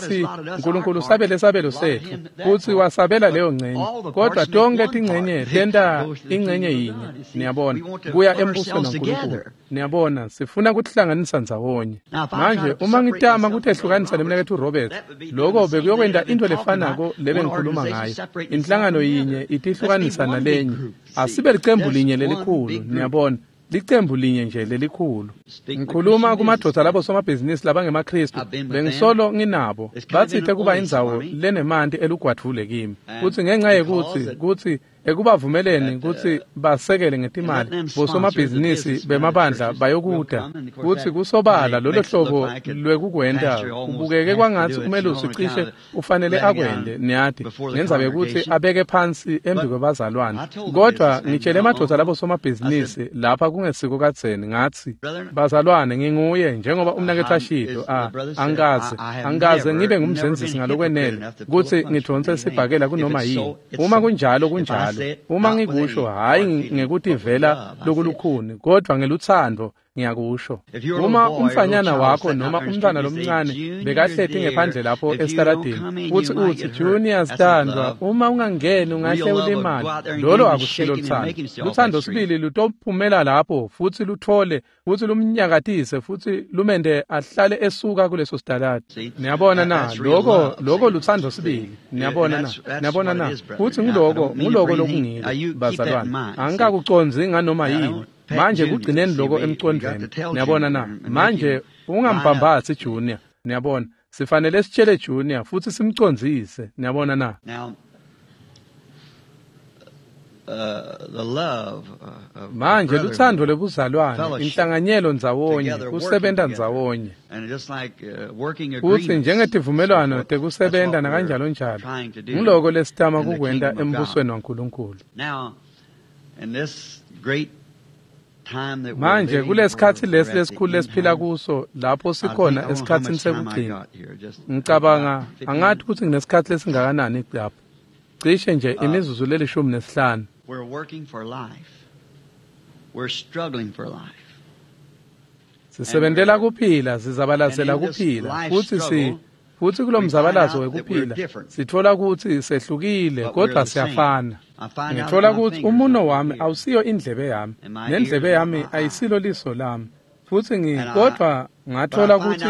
uNkulunkulu sabele sabelo sethu, futhi wasabela leyo ngcenye, kodwa tonke tingcenye tenta ingcenye yinye, niyabona, kuya embusweni waNkulunkulu. Niyabona, sifuna kuhlanganisa ndzawonye. Manje uma ngitama kutehlukanisa nemnakethu Roberts, lokho bekuyokwenta into lefanako lebe ngikhuluma ngayo. Inhlangano yinye itihlukanisa nalenye. Asibe licembu linye lelikhulu, niyabona, licembu linye nje lelikhulu. Ngikhuluma kumadoda labo somabhizinisi labangemaKristu, bengisolo nginabo, batsite kuba indzawo lenemanti elugwadvule kimi, futhi ngenxa yekuthi ekubavumeleni kutsi basekele ngetimali bosomabhizinisi bemabandla bayokuda, kutsi kusobala lolo hlobo lwekukwenta kubukeke kwangatsi umelusi cishe ufanele akwente, niyati, ngendzaba yekutsi abeke phansi embi kwebazalwane. Kodwa ngitshele emadoda labo somabhizinisi lapha kungesiko kadzeni, ngatsi, bazalwane, nginguye njengoba umnaketfu ashilo, angikaze ngibe ngumzenzisi ngalokwenele kutsi ngidvonse sibhakela kunoma yini. Uma kunjalo kunjalo. Uma ngikusho, hhayi ngekutivela lokulukhuni, kodwa ngelutsandvo ngiyakusho. Uma umfanyana wakho noma umntwana lomncane bekahleti ngephandle lapho esitaladini, futhi utsi, Junior sitandwa, uma ungangeni ungahle ulimale, lolo akusilo luthando. Luthando sibili lutophumela lapho futhi luthole futhi lumnyakatise futhi lumende ahlale esuka kuleso sitaladi. Niyabona na, lokho luthando sibili. Niyabona na, niyabona na, futhi nguloko lokungiko, bazalwane. Angikakucondzi nganoma yini. Manje kugcineni lokho emcondweni, niyabona na. Manje ungambambathi Junior, niyabona, sifanele sitshele Junior futhi simcondzise, niyabona na. Manje luthando lobuzalwane, inhlanganyelo ndzawonye, kusebenta ndzawonye, futhi njengetivumelwano tekusebenta nakanjalo njalo, ngiloko lesitama kukwenta embusweni waNkulunkulu. Manje kulesikhatsi lesi lesikhulu lesiphila kuso, lapho sikhona esikhatsini sekugcina, ngicabanga angathi kutsi nginesikhatsi lesingakanani lapho, cishe nje imizuzu leli-15. Sisebentela kuphila, sizabalazela kuphila, futhi kulomzabalazo wekuphila sithola ukuthi sehlukile, kodwa siyafana. Ngithola ukuthi umuno wami awusiyo indlebe yami, nendlebe yami ayisilo liso lami, futhi kodwa ngathola ukuthi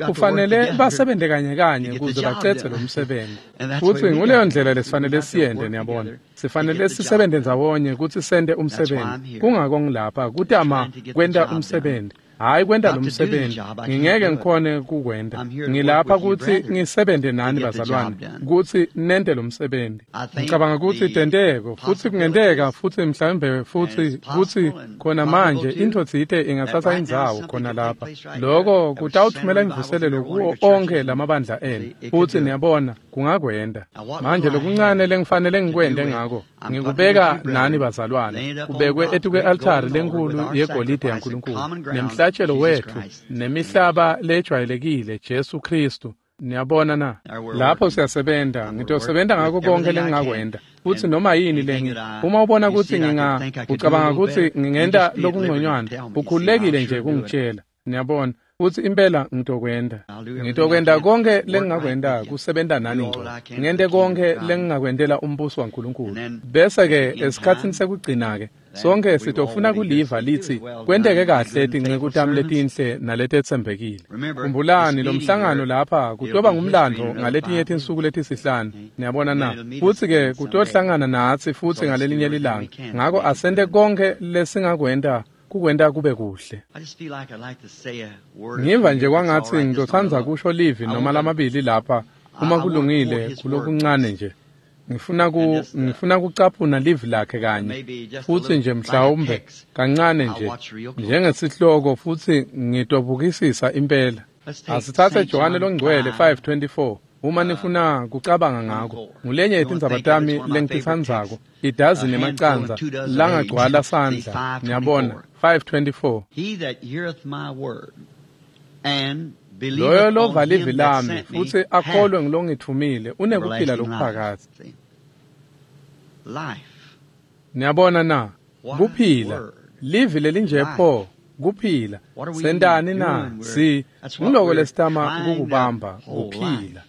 kufanele basebenze kanye kanye ukuze bacedze lo msebenzi. Futhi nguleyo ndlela lesifanele siyende, niyabona, sifanele sisebenze ndzawonye ukuthi sente umsebenzi. Kungako ngilapha kutama kwenta umsebenzi. Hhayi kwenta lo msebenzi, ngingeke ngikhone kukwenta. Ngilapha kutsi ngisebente nani bazalwane, kutsi nente lo msebenzi. Ngicabanga kutsi tenteko, futsi kungenteka, futsi mhlawumbe futsi kutsi khona manje intfo tsite ingatsatsa indzawo khona lapha. Loko kutawuthumela imvuselelo kuwo onkhe lamabandla enu, futsi niyabona kungakwenta. Manje lokuncane lengifanele ngikwente ngako, ngikubeka nani bazalwane, kubekwe etukwe-altari lenkulu yegolide yaNkulunkulu, nemhlatshelo wetfu, nemihlaba lejwayelekile, Jesu Kristu. Niyabona na? Lapho siyasebenta, ngitosebenta ngako konke lengingakwenta. Futsi noma yini lengi, uma ubona kutsi ucabanga kutsi ngingenta lokungconywana, ukhululekile nje kungitshela. Niyabona? Futsi impela ngitokwenta. Ngitokwenta konke lengingakwenta kusebenta nani ngco. Ngente konke lengingakwentela umbuso waNkulunkulu. Bese-ke esikhatsini sekugcina-ke, sonke sitofuna kuliva litsi kwenteke kahle tinceku tami letinhle naletetsembekile. Khumbulani lo mhlangano lapha kutoba ngumlandvo ngaletinye tinsuku letisihlanu. Niyabona na? Futsi-ke kutohlangana natsi futsi ngalelinye lilanga. Ngako asente konke lesingakwenta kukwenta kube kuhle. Ngiva nje kwangatsi ngitotsandza kusho livi noma lamabili lapha uma kulungile kulokuncane nje. Ngifuna kucaphuna livi lakhe kanye, futsi nje mhlawumbe kancane nje njengesihloko, futsi ngitobukisisa impela. Asitsatse Johane Longcwele 5:24. Uma nifuna kucabanga ngako, ngulenye yetindzaba tami lengititsandzako, idazini emacandza langagcwala sandla. Niyabona, 5:24. Loyo lova livi lami futsi akholwe ngulongitfumile unekuphila lokuphakadze. Niyabona na? Kuphila. Livi lelinje pho, kuphila. Sentani na? Si nguloko lesitama kukubamba, kuphila.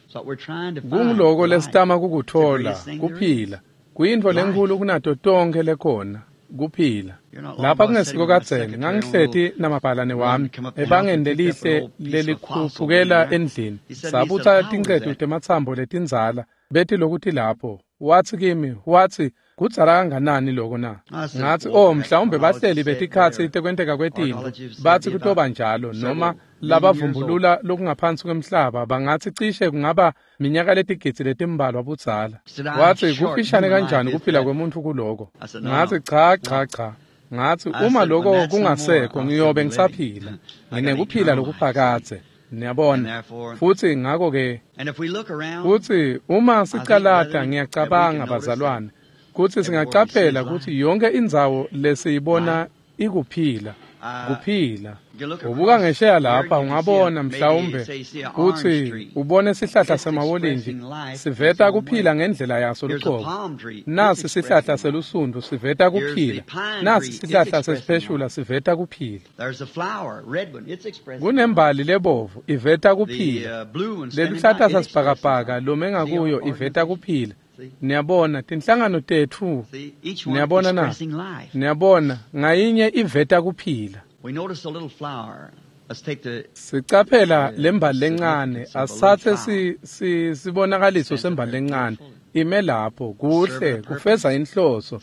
Kunguloko lesitama kukuthola, kuphila. Kuyintfo lenkhulu kunato tonkhe lekhona, kuphila. Lapha kungesiko kadzeni, ngangihleti namabhalane wami ebangeni lelihle lelikhuphukela endlini. Sabutsa tincetu tematsambo letindzala, betilokuthi lapho. Watsi kimi, watsi, kudzala kanganani loko na? Ngatsi, oh, mhlawumbe bahleli betikhatsi tekwenteka kwetintfo batsi kutoba njalo, noma labavumbulula lokungaphansi kwemhlaba bangatsi cishe kungaba minyaka letigidzi letimbalwa budzala. Watsi, kufishane kanjani kuphila kwemuntfu kuloko? Ngatsi, cha, cha, cha. Ngatsi, uma loko kungasekho ngiyobe ngisaphila. Nginekuphila lokuphakadze. Niyabona? Futsi ngako-ke, futsi uma sicalata ngiyacabanga bazalwane, kutsi singacaphela kutsi yonke indzawo lesiyibona ikuphila, kuphila. Ubuka ngesheya lapha ungabona mhlawumbe kutsi ubone sihlahla semawolintji siveta kuphila ngendlela yaso luqobo. Nasi sihlahla selusundvu siveta kuphila. Nasi sihlahla sesipheshula siveta kuphila. Kunembali lebovu iveta kuphila. Leluhlata sasibhakabhaka lome ngakuyo iveta kuphila. Niyabona tinhlangano tetfu. Niyabona na? Niyabona ngayinye iveta kuphila. Sicaphela lembali lencane, asathe sibonakaliso sembali lencane ime lapho kuhle kufeza inhloso,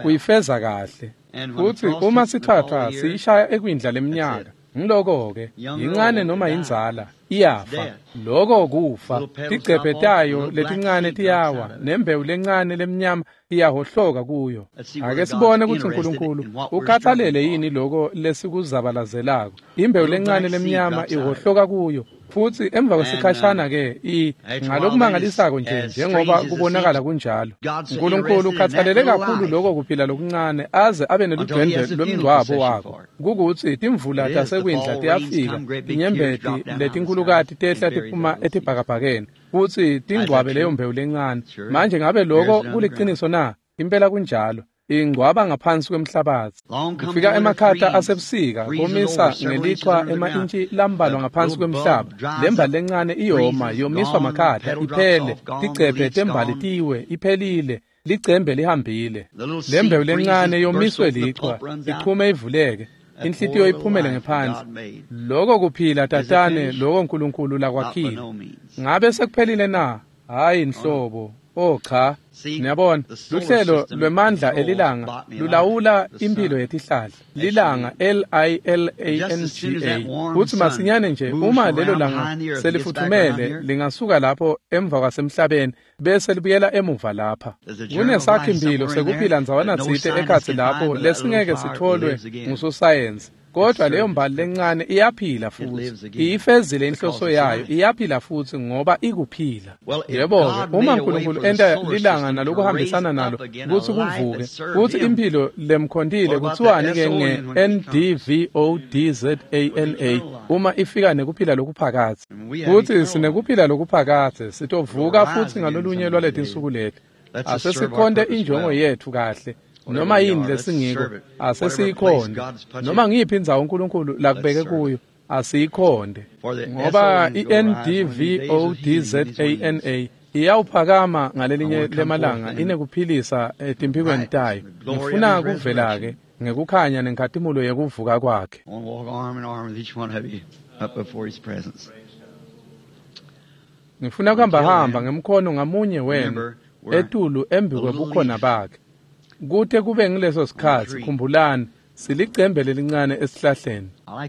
kuyifeza kahle. Futsi uma sithathwa siyishaya ekwindla leminyaka, ngiloko-ke yincane noma yindzala iyafa. Loko kufa. Tigcebhe tayo letincane tiyawa, nembewu lencane lemnyama iyahohloka kuyo. Ake sibone kutsi uNkulunkulu ukhathalele yini loko lesikuzabalazelako. Imbewu lencane lemnyama ihohloka kuyo, futsi emva kwesikhashana-ke ngalokumangalisako nje njengoba kubonakala kunjalo. uNkulunkulu ukhathalele kakhulu loko kuphila lokuncane aze abe neludwendwe lwemngcwabo wako. Kukutsi timvula tasekwindla tiyafika, tinyembeti letinkhulukati tehla tiphuma etibhakabhakeni, futsi tingcwabe leyo mbewu lencane. Manje ngabe loko kuliciniso na? Impela kunjalo. Ingcwaba ngaphansi kwemhlabatsi. Kufika emakhata asebusika, komisa ngelichwa ema-intshi lambalwa ngaphansi kwemhlaba. Lembali lencane iyoma, yomiswa makhata, iphele. Tigcebhe tembali tiwe, iphelile. Licembe lihambile. Lembewu lencane yomiswe lichwa, ichume ivuleke. Inhlitiyo iphumele ngephandle. Loko kuphila tatane, loko uNkulunkulu lakwakhile. Ngabe sekuphelile na? Hayi nhlobo. Oh cha, niyabona, luhlelo lwemandla elilanga lulawula impilo yetihlahla. Lilanga L-I-L-A-N-G-A. Kutsi masinyane nje uma lelo langa selifuthumele lingasuka lapho emva kwasemhlabeni bese libuyela emuva lapha. Kunesakhi-mphilo sekuphila ndzawana tsite ekhatsi lapho lesingeke sitholwe ngusosayensi. Kodwa leyo mbali lencane iyaphila futhi, iyifezile inhloso yayo, iyaphila futhi ngoba ikuphila. Yebo-ke, uma uNkulunkulu enta lilanga nalokuhambisana nalo kutsi kuvuke, kutsi imphilo lemkhontile kuthiwani-ke nge-NDVODZANA uma ifika nekuphila lokuphakadze. Kutsi sinekuphila lokuphakadze, sitovuka futsi ngalolunye lwaletinsuku leti. Asesikhonte injongo yetfu kahle. Noma yini lesingiko asesiyikhonde, noma ngiyiphi indzawo uNkulunkulu lakubeke kuyo asiyikhonde, ngoba i-NDVODZANA iyawuphakama ngalelinye lemalanga inekuphilisa etimphikweni tayo. Ngifuna kuvela-ke ngekukhanya nenkhatimulo yekuvuka kwakhe. Ngifuna kuhambahamba ngemkhono ngamunye wenu etulu embi kwebukhona bakhe. Kute kube ngileso sikhatsi, khumbulani, silicembe lelincane esihlahleni.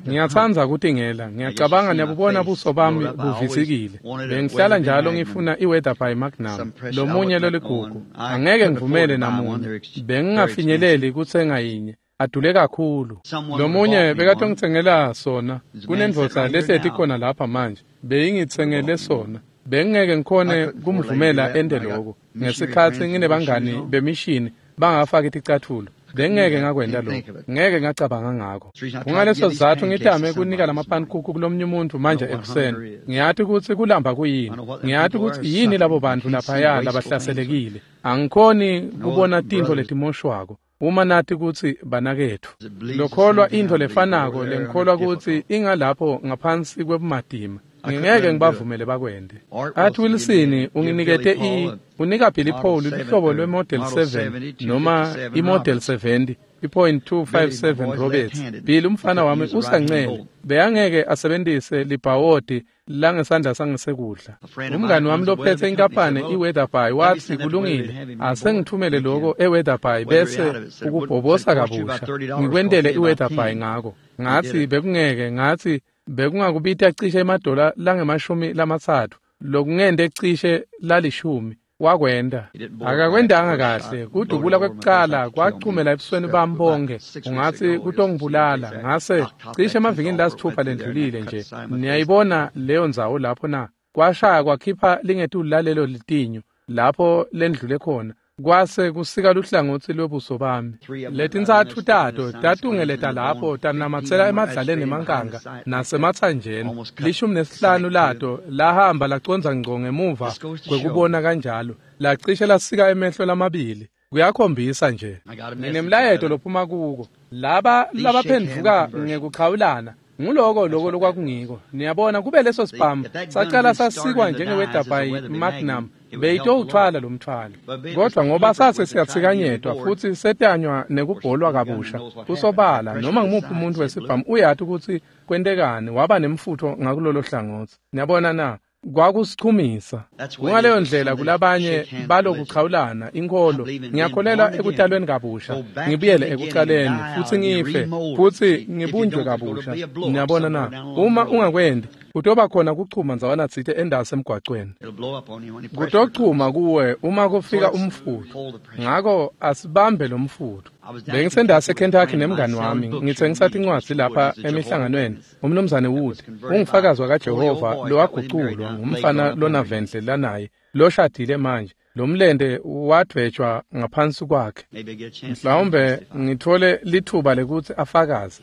Ngiyatsandza kutingela, ngiyacabanga niyabubona buso bami buvisikile. Bengihlala njalo ngifuna i-Weatherby Magnum, lomunye loligugu. Angeke ngivumele namunye. Bengingafinyeleli kutsenga yinye, adule kakhulu. Lomunye bekatongitsengela sona. Kunendvodza lehleti khona lapha manje, beyingitsengele sona. Bengingeke ngikhone kumvumela ente loko. Ngesikhatsi nginebangani bemishini bangafaki ticatfulo, bengeke ngakwenta lokho, ngeke ngacabanga ngako. Kungaleso sizatfu ngitame kunika lamaphankukhu kulomnye umuntu manje ekuseni. Ngiyati kutsi kulamba kuyini, ngiyati kutsi yini labo bantfu laphaya labahlaselekile. Angikhoni kubona tintfo letimoshwako uma nati kutsi banaketfu. Lokholwa intfo lefanako lengikholwa kutsi ingalapho ngaphansi kwebumatima. Ngingeke ngibavumele bakwente. Art Wilson unginikete unika Billy Paul luhlobo lwe-Model 7 noma i-Model 70 i.257 Roberts. Billy umfana wami usancele, beyangeke asebentise libhawodi langesandla sangesekudla. Umngani wami lophethe inkampani i-Weatherby wathi kulungile, asengithumele loko e-Weatherby bese ukubhobosa kabusha ngikwentele i-Weatherby ngako. Ngathi bekungeke, ngathi bekungakubita cishe emadola langemashumi lamatsatfu, lokungente cishe lalishumi. Wakwenda. Akakwendanga kahle. Kudubula kwekucala kwachumela ebusweni bami bonke. Ungatsi kutongibulala. Ngase cishe emavikini lasitfupha lendlulile nje. Niyayibona leyo ndzawo lapho na? Kwashaya kwakhipha lingetulu lalelo litinyo lapho lendlule khona. Kwase kusika luhlangotsi lwebuso bami. Letintsatfu tato tatungeleta lapho tanamatsela emadlaleni emankanga nasematsanjeni. 15 lato lahamba lacondza ngco ngemuva kwekubona kanjalo, lacishe lasika emehlo lamabili. Kuyakhombisa nje. Nginemlayeto lophuma kuko. Laba labaphendvuka ngekuchawulana nguloko loko lokwakungiko. Niyabona, kube leso sibhamu sacala sasikwa njenge-Weatherby Magnum, beyitowuthwala lo mthwalo. Kodwa ngoba sase siyatsikanyetwa futhi setanywa nekubholwa kabusha, kusobala noma ngumuphi umuntu wesibhamu uyati kutsi kwentekani, waba nemfutho ngakulolo hlangotsi. Niyabona na? Kwakusichumisa. Kungaleyo ndlela kulabanye balokuchawulana inkholo. Ngiyakholelwa ekutalweni kabusha, ngibuyele ekucaleni futhi ngife futhi ngibunjwe kabusha. Niyabona na? Uma ungakwenti, kutoba khona kuchuma ndzawana tsite endasi emgwacweni. Kutochuma kuwe uma kufika umfutho. Ngako asibambe lo mfutho. Bengisendase eKentucky nemngani wami, ngitsengisa tincwadzi lapha emihlanganweni. Umnumzane Wood ungufakazi wakaJehova lowaguculwa ngumfana lonavendle lanaye loshadile manje. Lo mlente wadvwetshwa ngaphansi kwakhe. Mhlawumbe ngithole lithuba lekutsi afakaze.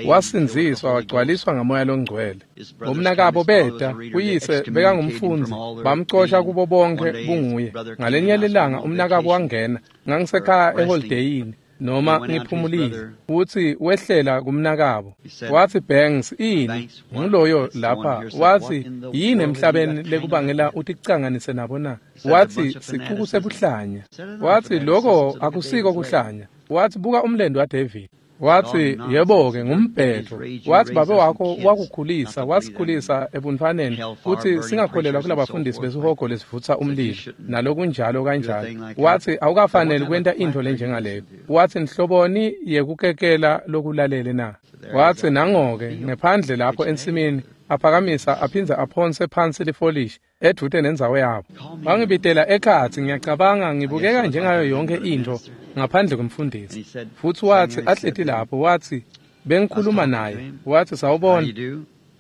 Wasindziswa wagcwaliswa ngamoya longcwele. Bomnakabo beta, uyise bekangumfundzi, bamcosha kubo bonke bunguye. Ngalenye lilanga umnakabo wangena, ngangisekhaya eholideyini noma ngiphumulile, utsi wehlela kumnakabo. Watsi Banks, ini nguloyo lapha. Watsi yini emhlabeni lekubangela uticanganise nabo na? Watsi sicuku sebuhlanya. Watsi loko akusiko kuhlanya. Watsi buka umlendo waDavid. Wathi, yebo-ke, ngumbhedvo. Wathi, babe wakho wakukhulisa, wasikhulisa ebuntwaneni, kutsi singakholelwa kulabafundisi besihogo lesivutsa umlilo, nalokunjalo kanjalo. Wathi, awukafaneli kwenta intfo lenjengaleyo. Wathi, nhloboni yekukekela lokulalele na? Wathi, nango-ke, ngephandle lapho ensimini, aphakamisa aphindze aphonse phansi lifolishi edvute nendzawo yabo. Wangibitela ekhatsi, ngiyacabanga ngibukeka njengayo yonke intfo ngaphandle kwemfundisi. Futsi wathi ahleti lapho, wathi bengikhuluma naye, wathi sawubona,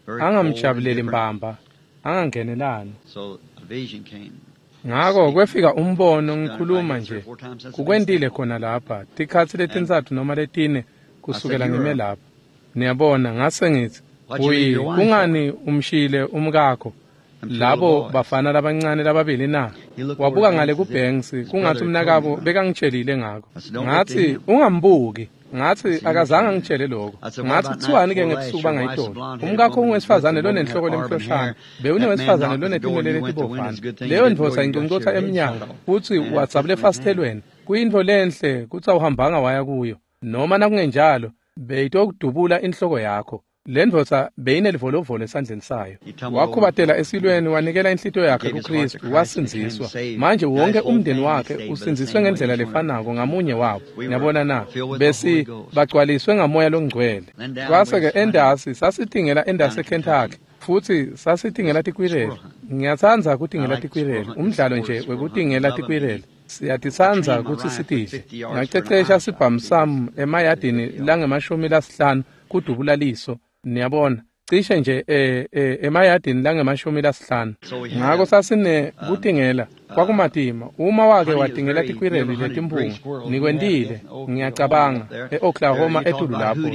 angamjabuleli mbamba, angangenelani. Ngako kwefika umbono ngikhuluma nje, kukwentile khona lapha, tikhatsi letintsatfu noma letine kusukela ngime lapha. Niyabona, ngase ngithi, uyi kungani umshile umkakho? Labo bafana labancane lababili na? Wabuka ngale kuBanks, kungathi umnakabo bekangitshelile ngako. Ngathi ungambuki. Ngathi akazange angitshele lokho. Ngathi kuthiwani-ke ngebusuku bangayitolo? Umkakho ungowesifazane lonenhloko lemhloshana, bewunowesifazane lonetinwele letibovana. Leyo ndvodza inconcotha emnyango, futsi wadzabula efasitelweni. Kuyintfo lenhle kutsi awuhambanga waya kuyo. Noma nakungenjalo, beyitokudubula inhloko yakho. Le ndvodza beyinelivolovolo esandleni sayo. Wakhubatela esilweni, wanikela inhlitiyo yakhe kuKristu, wasindziswa. Manje wonke umndeni wakhe usindziswe ngendlela lefanako ngamunye wabo. Niyabona na? Besi bagcwaliswe ngamoya longcwele. Kwase-ke endasi sasitingela endasi eKentucky, futsi sasitingela tikwireli. Ngiyatsandza kutingela tikwireli, umdlalo nje wekutingela tikwireli. Siyatitsandza kutsi sitidle. Ngacecesha sibhamu sami emayadini lange-50 kudubula liso. Niyabona, cishe nje emayadini lange-50. Ngako sasine kutingela kwakumatima. Uma wake watingela tikwireli letimphunga, nikwentile, ngiyacabanga, e-Oklahoma etulu lapho.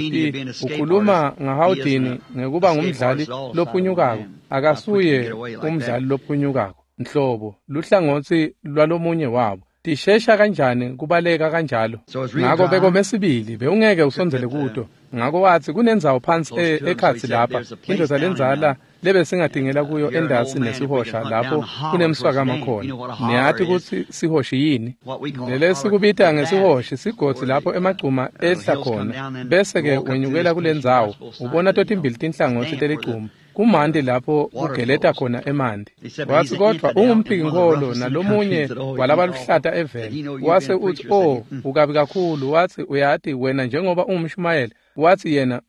Ukhuluma ngaHoudini ngekuba ngumdlali lophunyukako. Akasuye umdlali lophunyukako nhlobo, luhlangotsi lwalomunye wabo. Tishesha kanjani kubaleka kanjalo. Ngako bekome sibili, bewungeke usondzele kuto. Ngako wathi kunendzawo phansi ekhatsi lapha, indvodza lendzala lebesingatingela kuyo endasi nesihosha lapho kunemswakama khona. Niyati kutsi sihoshi yini? Lelesikubita ngesihoshi sigodzi lapho emagcuma ehla khona, bese-ke wenyukela kulendzawo, ubona totimbili tinhlangotsi teligcuma. Kumanti lapho kugeleta khona emanti. Wathi kodvwa ungumphiki-nkholo nalomunye walabaluhlata eveni. Wase uthi, oh, ukabi kakhulu. Wathi uyati wena njengoba ungumshumayeli. Wathi yena,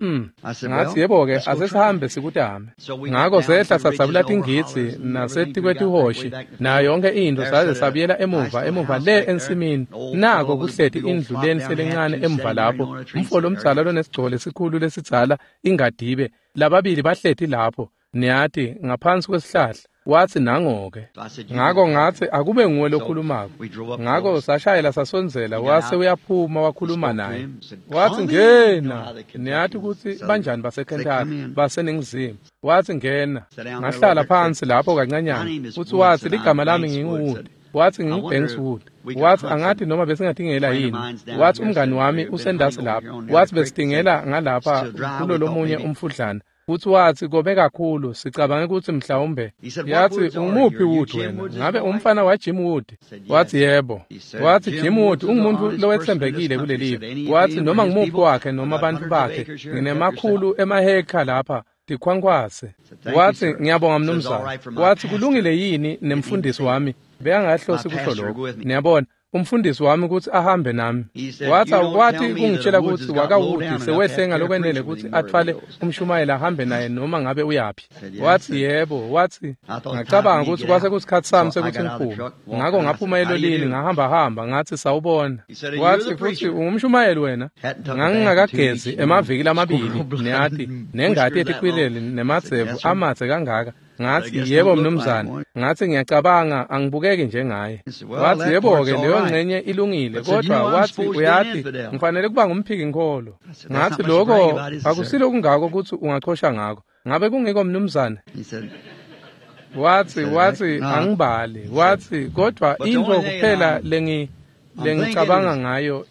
Ngathi yebo-ke, asesihambe sikutame. Ngako sehla sadzabula tingitsi nasetikwetihoshi nayo yonke intfo, saze sabuyela emuva le ensimini. Nako kuhleti indlu lenhle lencane emuva lapho, umfo lomdzala lonesigcoko lesikhulu lesidzala ingadibe. Lababili bahleti lapho, niyati, ngaphansi kwesihlahla. Wathi nango-ke. Ngako ngathi akube nguwe lokhulumako. Ngako sashayela sasondzela, wase uyaphuma wakhuluma naye. Wathi ngena, niyati kutsi banjani baseKentucky, baseNingizimu. Wathi ngena. Ngahlala phansi lapho kancanyana. Futsi wathi ligama lami nginguWood. Wathi nginguBanks Wood. Wathi angathi noma besingatingela yini. Wathi umngani wami usendasi lapho. Wathi besitingela ngalapha kulolomunye umfudlana. Futsi wathi kobe kakhulu, sicabange kutsi mhlawumbe. Yathi ungumuphi Wood wena? Ngabe umfana wa Jim Wood? Wathi yebo. Wathi Jim Wood ungumuntu lowetsembekile kulelive. Wathi noma ngumuphi wakhe noma bantfu bakhe, nginemakhulu emahekha lapha tikhwankhwase. Wathi ngiyabonga mnumzane. Wathi kulungile yini nemfundisi wami? Bekangahlosi kusho lokho. Niyabona, umfundisi wami kutsi ahambe nami. Wathi awukwati kungitshela kutsi wakaWood sewehle ngalokwenele kutsi atfwale umshumayeli ahambe naye noma ngabe uyaphi. Wathi yebo. Wathi ngacabanga kutsi kwase kusikhatsi sami sekutsi ngiphume. Ngako ngaphuma elolini ngahamba ngathi sawubona. Wathi futhi ungumshumayeli wena? Ngangingakagezi emaviki lamabili, niyati, nengati yetikwireli nemadzevu amadze kangaka. Ngathi yebo mnumzane. Ngathi ngiyacabanga angibukeki njengaye. Wathi yebo-ke, leyo ngcenye ilungile, kodwa wathi uyati ngifanele kuba ngumphiki-nkholo. Ngathi lokho akusilo kungako kutsi ungachosha ngako. Ngabe kungiko mnumzane? Wathi angibali. Wathi kodwa intfo kuphela lengicabanga ngayo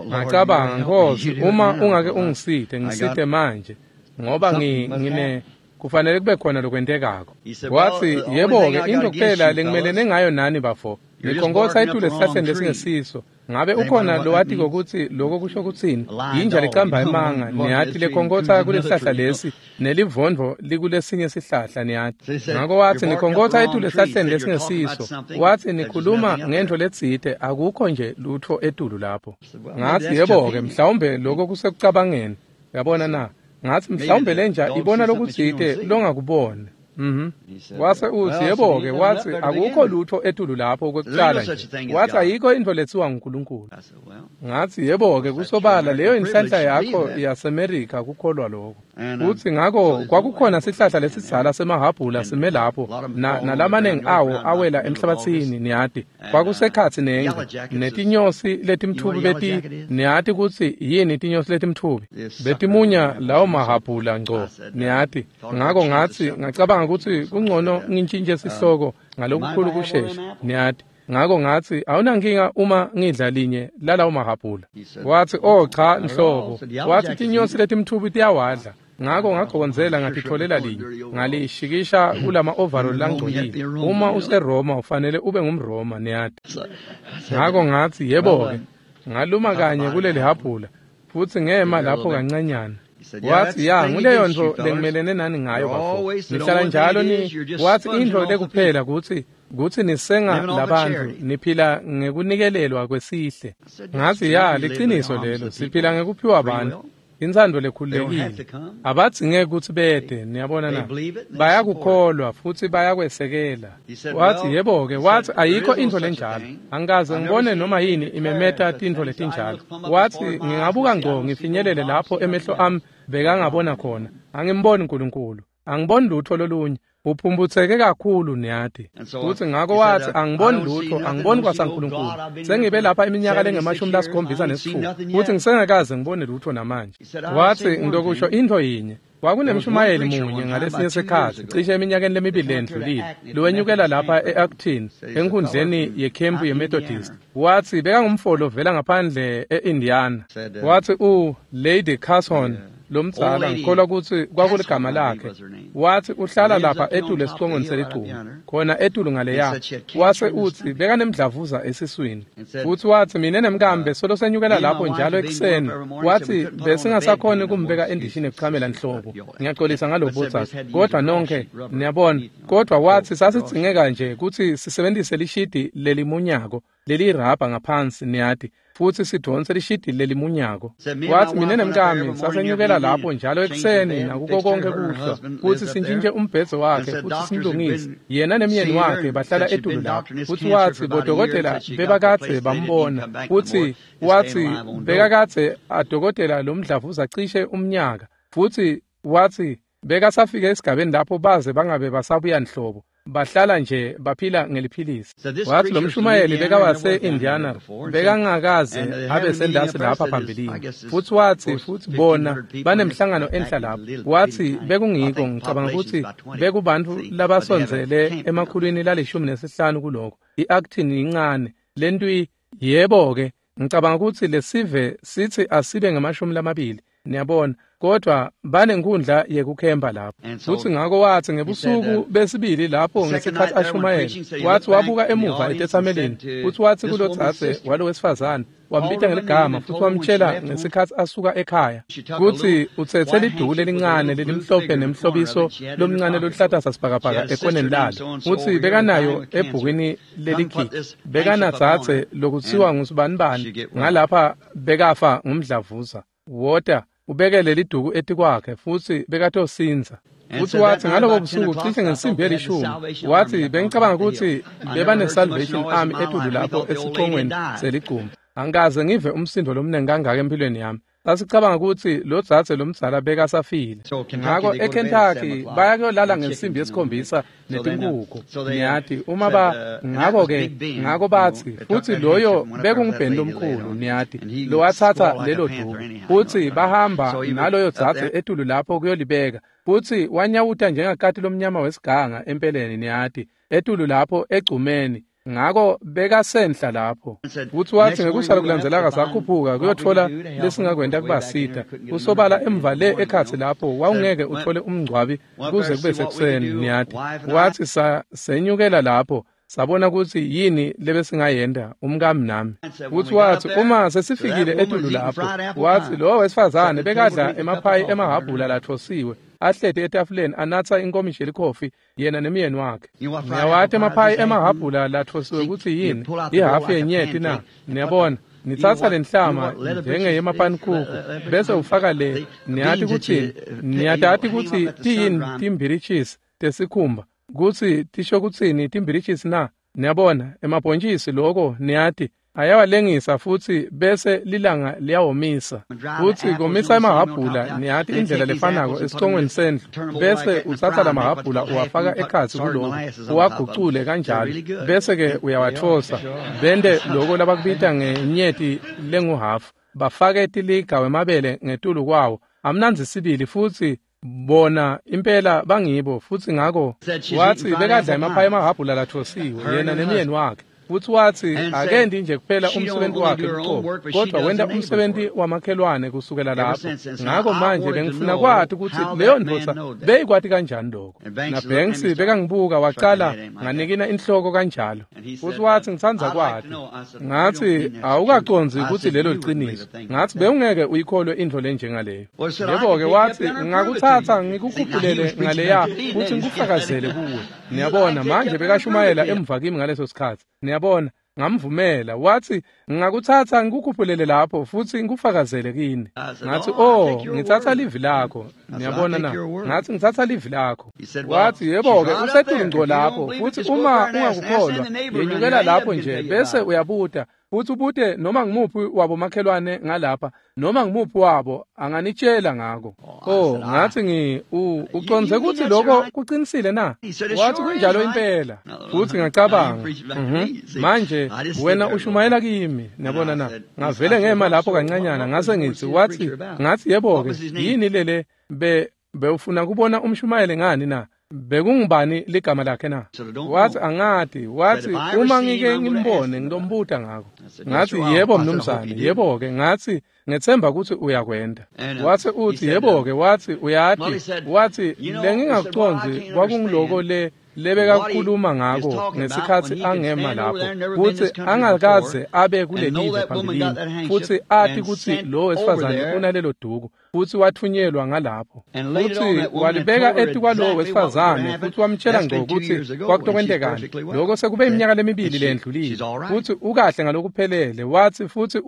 ngacabanga Nkosi, uma ungake ungisite, ngisite manje, ngoba ngine kufanele kube khona lokwentekako. Wathi yebo-ke, into kuphela lengimelene ngayo nani bafo, nikhonkhotsa etulu esihlahleni lesingesiso. Ngabe ukhona lowatiko kutsi loko kusho kutsini? Yinja lecamba emanga, niyati, lekhonkotha kulesihlahla lesi, nelivondvo likulesinye sihlahla, niyati. Ngako watsi, nikhonkotha etulu esihlahleni lesingesiso. Watsi, nikhuluma ngentfo letsite, akukho nje lutfo etulu lapho. Ngatsi, yebo-ke, mhlawumbe loko kusekucabangeni. Yabona na? Ngatsi, mhlawumbe lenja ibona lokutsite longakubona. Wase utsi, yebo-ke, watsi akukho lutfo etulu lapho kwekucala nje. Watsi ayikho intfo letsiwa nguNkulunkulu. Ngatsi, yebo-ke, kusobala leyo inhlanhla yakho yaseMerika kukholwa lokho. Futsi ngako kwakukhona sihlahla lesidzala semahhabhula sime lapho, nalamanengi awo awela emhlabatsini, niyati. Kwakusekhatsi nengci, netinyosi letimtfubi beti, niyati kutsi yini tinyosi letimtfubi? Betimunya lawo mahhabhula ngco, niyati. Ngako ngatsi, ngacabanga kutsi kungcono ngintjintje sihloko ngalokukhulu kushesha, niyati. Ngako ngatsi, awunankinga uma ngidla linye lalawo mahhabhula. Watsi, oh cha nhlobo. Watsi tinyosi letimtfubi tiyawadla. Ngako ngagondzela ngatitfolela linye, ngalishikisha kulama overall langcolile. Uma useRoma ufanele ube ngumRoma, niyati. Ngako ngatsi, yebo-ke, ngaluma kanye kuleli hhabhula, futsi ngema lapho kancanyana. Watsi, ya, nguleyo ntfo lengimelene nani ngayo bafo. Nihlala njalo ni, watsi intfo lekuphela kutsi nisenga labantfu, niphila ngekunikelelwa kwesihle. Ngatsi, ya, liciniso lelo, siphila ngekuphiwa bantfu. Intsandvo lekhululekile. Abadzingeki kutsi bete, niyabona na? Bayakukholwa futsi bayakwesekela. Watsi, yebo-ke, watsi ayikho intfo lenjalo. Angikaze ngibone noma yini imemeta tintfo letinjalo. Watsi, ngingabuka ngco ngifinyelele lapho emehlo ami bekangabona khona. Angimboni uNkulunkulu. Angiboni lutfo lolunye. Uphumbutseke kakhulu, niyati. Futsi ngako watsi, angiboni lutfo, angiboni kwasaNkulunkulu. Sengibe lapha iminyaka lengama-76, futsi ngisengakaze ngibone lutfo namanje. Watsi, ngitokusho intfo yinye. Kwakunemshumayeli munye ngalesinye sikhatsi, cishe eminyakeni lemibili lendlulile, lowenyukela lapha e-Acton, enkhundleni yekhempu yeMethodist. Watsi bekangumfo lovela ngaphandle e-Indiana. Watsi Lady Carson lomdzala, ngikholwa kutsi kwakuligama lakhe. Watsi uhlala lapha etulu esicongweni seligcuma, khona etulu ngaleya. Wase utsi bekanemdlavuza esiswini. Futsi watsi mine nemkambe solo senyukela lapho njalo ekuseni. Watsi besingasakhoni kumbeka endishini ekuchamela nhlobo. Ngiyaxolisa ngaloko dzadze, kodvwa nonkhe niyabona. Kodvwa watsi sasidzingeka nje kutsi sisebentise lishidi lelimunyako lelirabha ngaphansi, niyati, futsi sidvonse lishidi lelimunyako. Watsi mine nemkami sasenyukela lapho njalo ekuseni nakuko konke kuhlwa, futsi sintjintje umbhedze wakhe futsi simlungise. Yena nemyeni wakhe bahlala etulu lapho. Futsi watsi bodokotela bebakadze bambona, futsi watsi bekakadze adokotela lomdlavuza cishe umnyaka, futsi watsi bekasafike esigabeni lapho baze bangabe basabuya nhlobo. Bahlala nje baphila ngeliphilisi. Watsi lomshumayeli bekawase-Indiana, bekangakaze abe sendasi lapha phambilini. Futsi watsi, futsi bona banemhlangano enhla lapho. Watsi bekungiko, ngicabanga kutsi bekubantfu labasondzele 115 kuloko. I-Acton incane lentwi, yebo-ke, ngicabanga kutsi lesive sitsi asibe ngama-20, niyabona, kodvwa banenkhundla yekukhempa lapho. Futsi ngako watsi ngebusuku besibili lapho ngesikhatsi ashumayela, watsi wabuka emuva etetsamelini, futsi watsi kulodzadze walowesifazane, wambita ngeligama futsi wamtjela ngesikhatsi asuka ekhaya kutsi utsetse liduku lelincane lelimhlophe nemhlobiso lomncane loluhlata sasibhakabhaka ekoneni lalo, futsi bekanayo ebhukwini lelikhikhi. Bekanadzadze lokutsiwa ngusibanibani ngalapha bekafa ngumdlavuza. Wota ubeke leliduku etikwakhe futsi bekatosindza. Futsi watsi ngalobo busuku cishe ngensimbi yelishumi, watsi bengicabanga kutsi bebane-Salvation Army etulu lapho esicongweni seligcuma. Angikaze ngive umsindo lomnengi kangaka empilweni yami. Sasicabanga kutsi lodzadze lomdzala bekasafile. Ngako eKentucky baya kuyolala ngensimbi ye-7 netinkhukhu, niyati, uma ba ngako-ke, ngako batsi, futsi loyo bekungubheni lomkhulu, niyati, lowathatha lelo duku. Futsi bahamba naloyo dzadze etulu lapho kuyolibeka. Futsi wanyawuta njengakati lomnyama wesiganga empeleni, niyati, etulu lapho egcumeni. Ngako bekasenhla lapho. Futsi watsi ngekusala kulandzelaka sakhuphuka kuyotfola lesingakwenta kubasita. Kusobala emva le ekhatsi lapho wawungeke uthole umngcwabi kuze kube sekuseni, niyati. Watsi senyukela lapho. Sabona kutsi yini lebesingayenta umkami nami. Futsi watsi uma sesifikile etulu lapho, watsi lowo wesifazane bekadla emaphayi emahhabhula lathosiwe, ahleti etafuleni anatsa inkomishi yelikhofi yena nemyeni wakhe. Niyawati emaphayi emahhabhula lathosiwe kutsi yini? Ihhafu yenyeti na? Niyabona? Nitsatsa lenhlama njengeyemapanikuku bese ufaka le, niyati kutsi niyatati kutsi tiyini timbirichisi tesikhumba, kutsi tisho kutsini timbirichisi na? Niyabona, emabhontjisi loko niyati ayawalengisa futsi bese lilanga liyawomisa. Futsi komisa emahhabhula, niyati indlela lefanako esicongweni sendlu, bese utsatsa lamahhabhula uwafaka ekhatsi kuloko, uwagucule kanjalo, bese-ke uyawatfosa, bente loko labakubita ngenyeti lenguhafu, bafake tiliga wemabele ngetulu kwawo, amnandzi sibili futsi bona impela bangibo. Futsi ngako watsi bekadla emaphayi emahhabhula lathosiwe yena nemyeni wakhe. Futsi watsi akendi nje kuphela umsebenzi wakhe luqobo, kodwa wenta umsebenzi wamakhelwane kusukela lapho. Ngako manje bengifuna kwati kutsi leyo ndvodza beyikwati kanjani lokho. Na Banks bekangibuka wacala nganikina inhloko kanjalo. Futsi watsi ngitsandza kwati. Ngatsi awukacondzi kutsi lelo liciniso. Ngatsi bewungeke uyikholwe intfo lenjengaleyo. Yebo-ke watsi ngakuthatha ngikukhuphulele ngaleya kutsi ngikufakazele kuwe. Niyabona manje bekashumayela emva kimi ngaleso sikhatsi. Niyabona, ngamvumela. Watsi ngakuthatha ngikukhuphulele lapho futsi ngikufakazele kini. Ngathi oh, ngitsatsa livi lakho. Niyabona na? Ngathi ngitsatsa livi lakho. Watsi yebo-ke usetulu ngco lapho futsi uma ungakukholwa yenyukela lapho nje bese uyabuta futsi ubute noma ngimuphi wabo makhelwane ngalapha, noma ngimuphi wabo anganitshela ngako. Oh, ngathi ucondze kutsi lokho kuqinisile na? Wathi kunjalo impela. Futsi ngacabanga, manje wena ushumayela kimi, niyabona na? Ngavele ngema lapho kancanyana ngase ngithi, wathi ngathi yebo-ke yini lele bewufuna kubona umshumayele ngani na? Bekungubani ligama lakhe na? Wathi angati. Wathi uma ngike ngimbone ngitombuta ngako. Ngathi yebo mnumzane, yebo-ke. Ngathi ngethemba ukuthi uyakwenda. Wathi uthi yebo-ke, wathi uyati, wathi lengingakucondzi kwakungiloko le lebekakhuluma ngako ngesikhatsi angema lapho, kutsi angakaze abe kulelive phambilini, futsi ati kutsi lo wesifazane unalelo duku, futsi wathunyelwa ngalapho, futsi walibeka etikwalowo wesifazane, futsi wamtshela ngco kutsi kwakutokwentekani. Lokho sekube iminyaka lemibili leyendlulile, futsi ukahle ngalokuphelele. Wathi futsi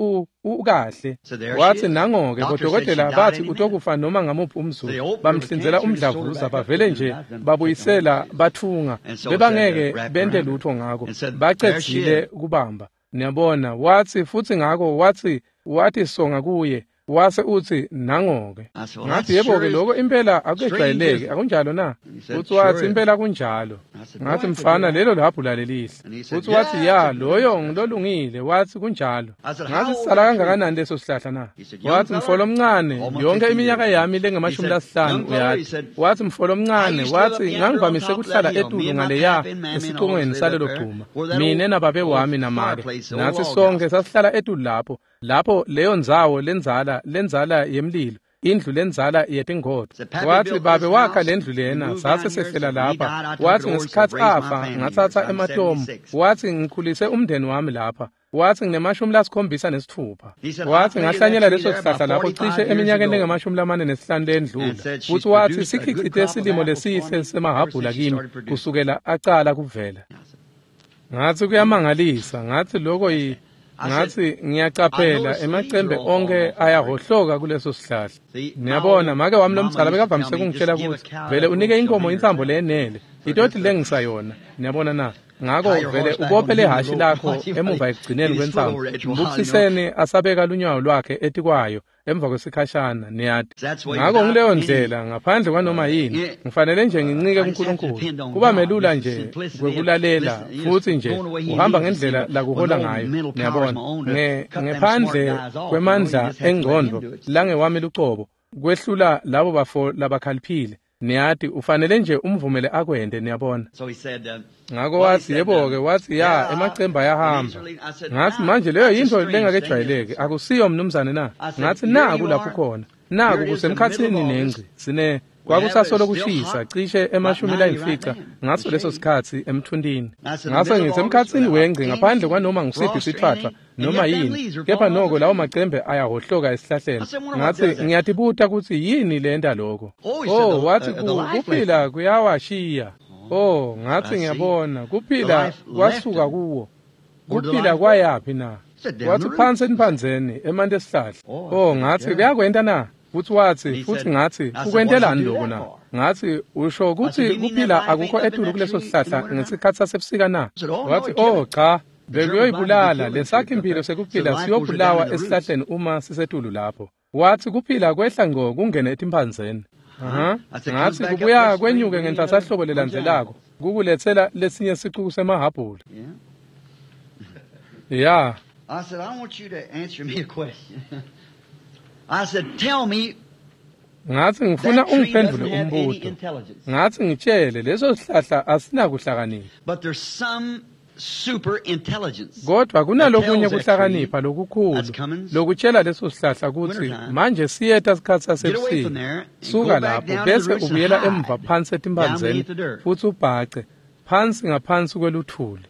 ukahle. Wathi nango-ke bodokotela bathi utokufa noma ngamuphi umzuzu, bamhlinzela umdlavuza, bavele nje babuyisela bathunga, bebangeke bente lutho ngako, bacedzile kubamba. Niyabona, wathi futsi ngako wathi wathi songa kuye, wase uthi nango-ke. Ngathi yebo-ke lokho impela akujwayeleki, akunjalo na? Futsi wathi impela kunjalo. Ngathi mfana lelo lihhabhula lelihle. Futsi wathi ya loyo ngilolungile. Wathi kunjalo. Ngathi sisala kangakanani leso sihlahla na? Wathi mfolo omncane, yonke iminyaka yami lengamashumi lasihlanu uyati. Wathi mfolo omncane, wathi ngangivamise kuhlala etulu ngaleya esicongweni salelo gcuma, mine nababe wami namake, nathi sonke sasihlala etulu lapho, lapho leyo ndzawo lenzala yemlilo, indlu lenzala yetingodo. Wathi babe wakha lendlu lena, sase sehlela lapha. Wathi ngesikhatsi afa ngatsatsa ematomu. Wathi ngikhulise umndeni wami lapha. Wathi nginama-76. Wathi ngahlanyela leso sihlahla lapho cishe eminyakeni lengama-45 lendlula. Futhi wathi sikhicite silimo lesihle semahhabhula kimi kusukela acala kuvela. Ngathi kuyamangalisa. Ngathi lokho ngathi ngiyacaphela emacembe onke ayahhohloka kuleso sihlahla. Niyabona, make wami lomdzala bekavamise kungitshela kutsi vele unike inkomo intsambo leyenele, itoti lengisa yona. Niyabona na? Ngako vele ubophe lehhashi lakho emuva ekugcineni kwentsambo, mbukisiseni asabeka lunyawo lwakhe etikwayo emva kwesikhashana, niyati. Ngako ngileyo ndlela, ngaphandle kwanoma yini, ngifanele nje ngincike kuNkulunkulu. Kuba melula nje kwekulalela futsi nje uhamba ngendlela lakuhola ngayo, niyabona. Ngephandle kwemandla engcondvo langewami lucobo, kwehlula labo bafo labakhaliphile. Niyati ufanele nje umvumele akwente, niyabona. Ngako wathi yebo-ke, wathi ya emacembe ayahamba. Ngathi manje leyo yintfo lengakejwayeleki, akusiyo mnumzane na? Ngathi naku lapho khona, naku kusemkhatsini nengci, sine Kwakusasolo kushisa cishe 95 ngaso leso sikhatsi emthuntini. Ngase ngithi emkhatsini wengci ngaphandle kwanoma ngusiphi sitfwatfwa noma yini, kepha noko lawo macembe ayahohloka esihlahleni. Ngathi ngiyatibuta kutsi yini lenta lokho. Oh, wathi kuphila kuyawashiya. Oh, ngathi ngiyabona kuphila kwasuka kuwo. Kuphila kwayaphi na? Wathi phansi emphandzeni emanti esihlahla. Oh, ngathi kuyakwenta na? Futhi wathi, futhi ngathi ukwentelani lokho na? Ngathi usho ukuthi kuphila akukho etulu kuleso sihlahla ngesikhathi sasebusika na? Wathi oh cha, bekuyoyibulala lesakhi impilo sekuphila siyobulawa esihlahleni uma sisetulu lapho. Wathi kuphila kwehla ngqo kungene etimphandzeni. Ngathi kubuya kwenyuke ngenhlasahlobo lelandzelako kukuletsela lesinye sicuku semahabhula. Yeah. I said, I want you to answer me a question. I said, tell me. Ngathi ngifuna ungiphendule umbuto. Ngathi ngitshele leso sihlahla asinakuhlakanipha. But there's some super intelligence. Kodwa kunalokunye kuhlakanipha lokukhulu lokutshela leso sihlahla kutsi manje siyeta sikhatsi sasebusika. Suka lapho bese ubuyela emva phansi etimphandzeni futhi ubhace phansi ngaphansi kweluthuli.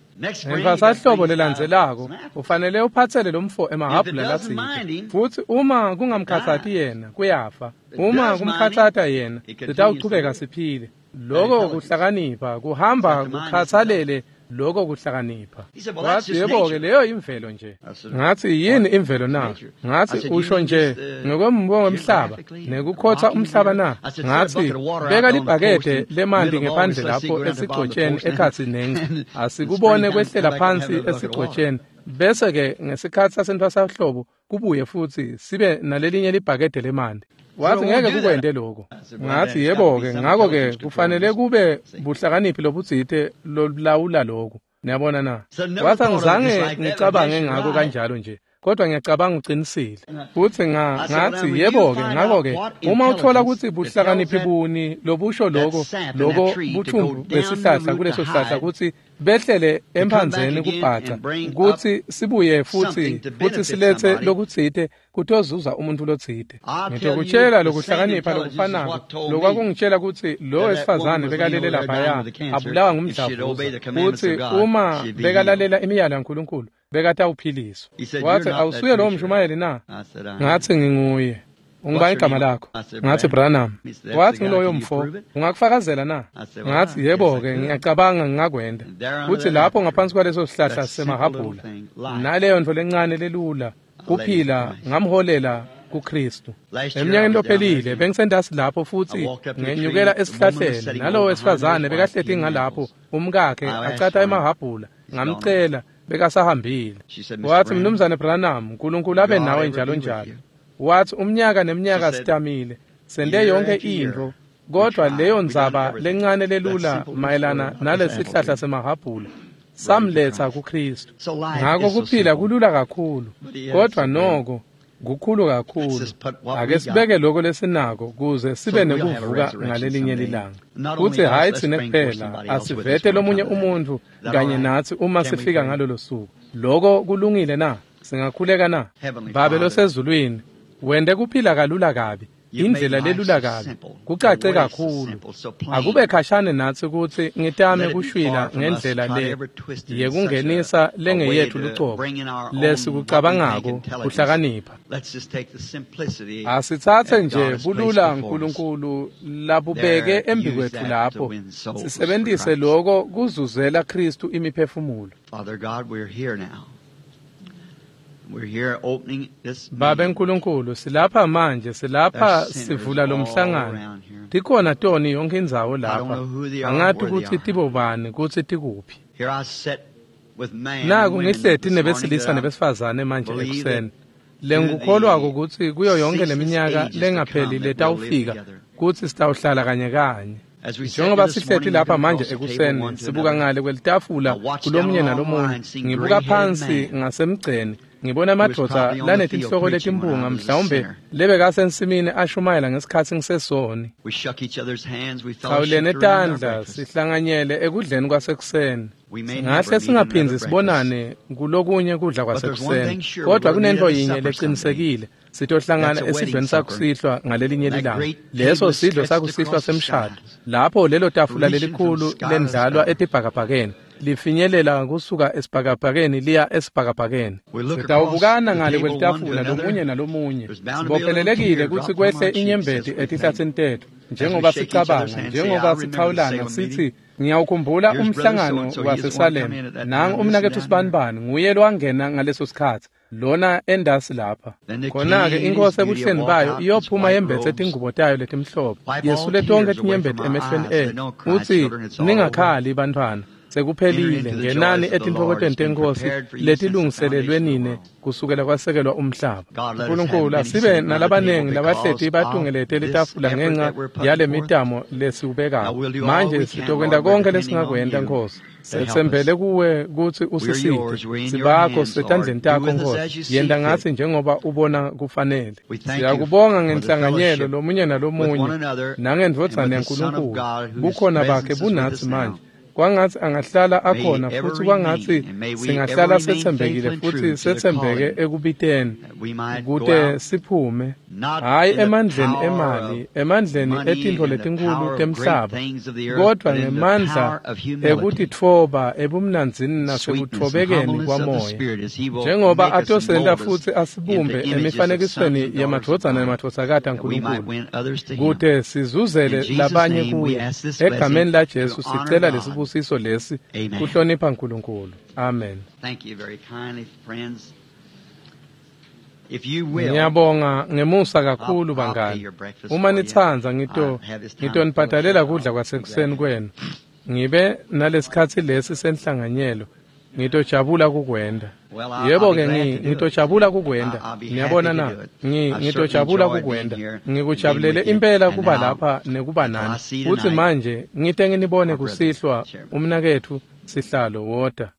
Ngenhlasahlobo lelandzelako ufanele uphatsele lo mfo emahabhula latsite, futhi uma kungamkhatsati yena kuyafa, uma kumkhatsata yena sitawuchubeka siphile. Loko kuhlakanipha kuhamba kukhatsalele loko kuhlakanipha. Wathi yebo-ke leyo imvelo nje. Ngathi yini imvelo na? Ngathi usho nje ngokwembono wemhlaba nekukhotha umhlaba na? Ngathi beka libhakede lemanti ngephandle lapho esigcotsheni ekhatsi nengci, asikubone kwehlela phansi esigcotsheni, bese-ke ngesikhatsi sasentfwasahlobo kubuye futhi sibe nalelinye libhakede lemanti. Wathi ngeke kukwente lokho. Ngathi yebo-ke, ngakho-ke kufanele kube buhlakaniphi lobutsite lolawula lokhu. Niyabona na? Wathi angizange ngicabange ngako kanjalo nje, kodwa ngiyacabanga uqinisile. Futhi ngathi yebo-ke, ngakho-ke uma uthola ukuthi buhlakaniphi buni lobusho lokho lokho buthumbu besihlahla kuleso sihlahla kutsi behlele emphandzeni kubhaca kutsi sibuye futhi silethe lokutsite kutozuza umuntu lotsite. Ngitokutshela lokuhlakanipha lokufanako lokwakungitshela kutsi lo wesifazane bekalele laphaya abulawa ngumdlavuza, kutsi uma bekalalela imiyalo yaNkulunkulu bekatawuphiliswa. Wathi awusuye lowo mshumayeli na? Ngathi nginguye. Ungubani igama lakho? Ngathi Branham. Wathi ngiloyo mfo, ungakufakazela na? Ngathi yebo-ke, ngiyacabanga ngingakwenda. Kuthi lapho ngaphansi kwaleso sihlahla semahabhula naleyo nto lencane lelula kuphila ngamholela kuKristu. Eminyakeni lophelile bengisendasi lapho futhi ngenyukela esihlahleni nalowo wesifazane bekahleti ngalapho umkakhe acatha emahabhula, ngamcela bekasahambile. Wathi Mnumzane Branham, uNkulunkulu abe nawe njalo njalo. Wathi umnyaka neminyaka sitamile sente yonke into, kodwa leyo ndzaba lencane lelula mayelana nalesihlahla semahabhula samletha kuKristu. Ngakho kuphila kulula kakhulu, kodwa noko kukhulu kakhulu. Ake sibeke lokho lesinako kuze sibe nekuvuka ngalelinye lilanga. Futhi hhayi thina kuphela, asivete lomunye umuntu kanye nathi uma sifika ngalolo suku. Lokho kulungile na? Singakhuleka na? Babe losezulwini, wente kuphila kalula kabi, indlela lelula kabi, kucace kakhulu. Akube khashane natsi kutsi ngitame kushwila ngendlela le yekungenisa lengeyethu lucobo lesikucabangako kuhlakanipha. Asitsatse nje bulula uNkulunkulu labubeke embikwethu lapho, sisebentise lokho kuzuzela Kristu imiphefumulo. Babe Nkulunkulu, silapha manje, silapha sivula lo mhlangano. Tikhona toni yonke indzawo lapha. Angati kutsi tibobani, kutsi tikuphi. Naku ngihleti nebesilisa nebesifazane manje ekuseni. Lengikukholwako kutsi kuyo yonke leminyaka lengapheli letawufika kutsi sitawuhlala kanye kanye. Njengoba sihleti lapha manje ekuseni sibuka ngale kwelitafula kulomunye nalomunye, ngibuka phansi ngasemgceni Ngibona emadvodza lanetinhloko letimpunga mhlawumbe lebekasensimini ashumayela ngesikhatsi ngisesoni. Sawulene tandla sihlanganyele ekudleni kwasekuseni. Singahle singaphindzi sibonane kulokunye kudla kwasekuseni, kodwa kunento yinye leqinisekile, sitohlangana esidlweni sakusihlwa ngalelinye lilanga. Leso sidlo sakusihlwa semshado, lapho lelo tafula lelikhulu lendlalwa etibhakabhakeni lifinyelela kusuka esibhakabhakeni liya esibhakabhakeni. Sitawubukana ngale kwelitafula lomunye nalomunye. Sibophelelekile kutsi kwehle inyembeti etihlatsini tetfu, njengoba sicabanga, njengoba sichawulana sithi, ngiyawukhumbula umhlangano waseSalem. Nangu umnaketfu Sibanibani, nguye lowangena ngaleso sikhatsi, lona endasi lapha. Khona-ke inkosi ebuhleni bayo iyophuma yembetse tingubo tayo letimhlophe, yesule tonkhe tinyembeti emehlweni etfu. Utsi, ningakhali bantfwana, sekuphelile, ngenani etintfokotweni tenkosi letilungiselelwe nine kusukela kwasekelwa umhlaba. Nkulunkulu, asibe nalabanengi labahleti batungelete litafula ngenxa yale mitamo lesiwubekako. Manje sitokwenta konke lesingakwenta, Nkosi. Setsembele kuwe kutsi usisite. Sibakho setandleni takho, Nkosi. Yenta ngatsi njengoba ubona kufanele. Siyakubonga ngenhlanganyelo lomunye nalomunye nangendvodzana yaNkulunkulu. Bukhona bakhe bunatsi manje. Kwangatsi angahlala akhona futsi kwangatsi singahlala setsembekile futhi setsembeke ekubiteni kute siphume, hhayi emandleni emali, emandleni etintfo letinkhulu temhlaba, kodwa ngemandla ekutitfoba ebumnandzini nasekutfobekeni kwamoya, njengoba atosenta futsi asibumbe emifanekisweni yemadvodzana nemadvodzakati aNkulunkulu, kute sizuzele labanye kuye. Egameni laJesu sicela lesibusiso lesi kuhlonipha uNkulunkulu. Amen. Thank you very kindly, friends. If you will, Ngiyabonga ngemusa kakhulu bangani. Uma nitsandza ngitonibhadalela kudla kwasekuseni kwenu. Ngibe nalesikhatsi lesi senhlanganyelo. Ngitojabula kukwenda. Yebo-ke ngitojabula kukwenda. Niyabona na? Ngitojabula kukwenda. Ngikujabulele impela kuba lapha nekuba nani. Futsi manje ngite nginibone kusihlwa umnaketfu sihlalo wota.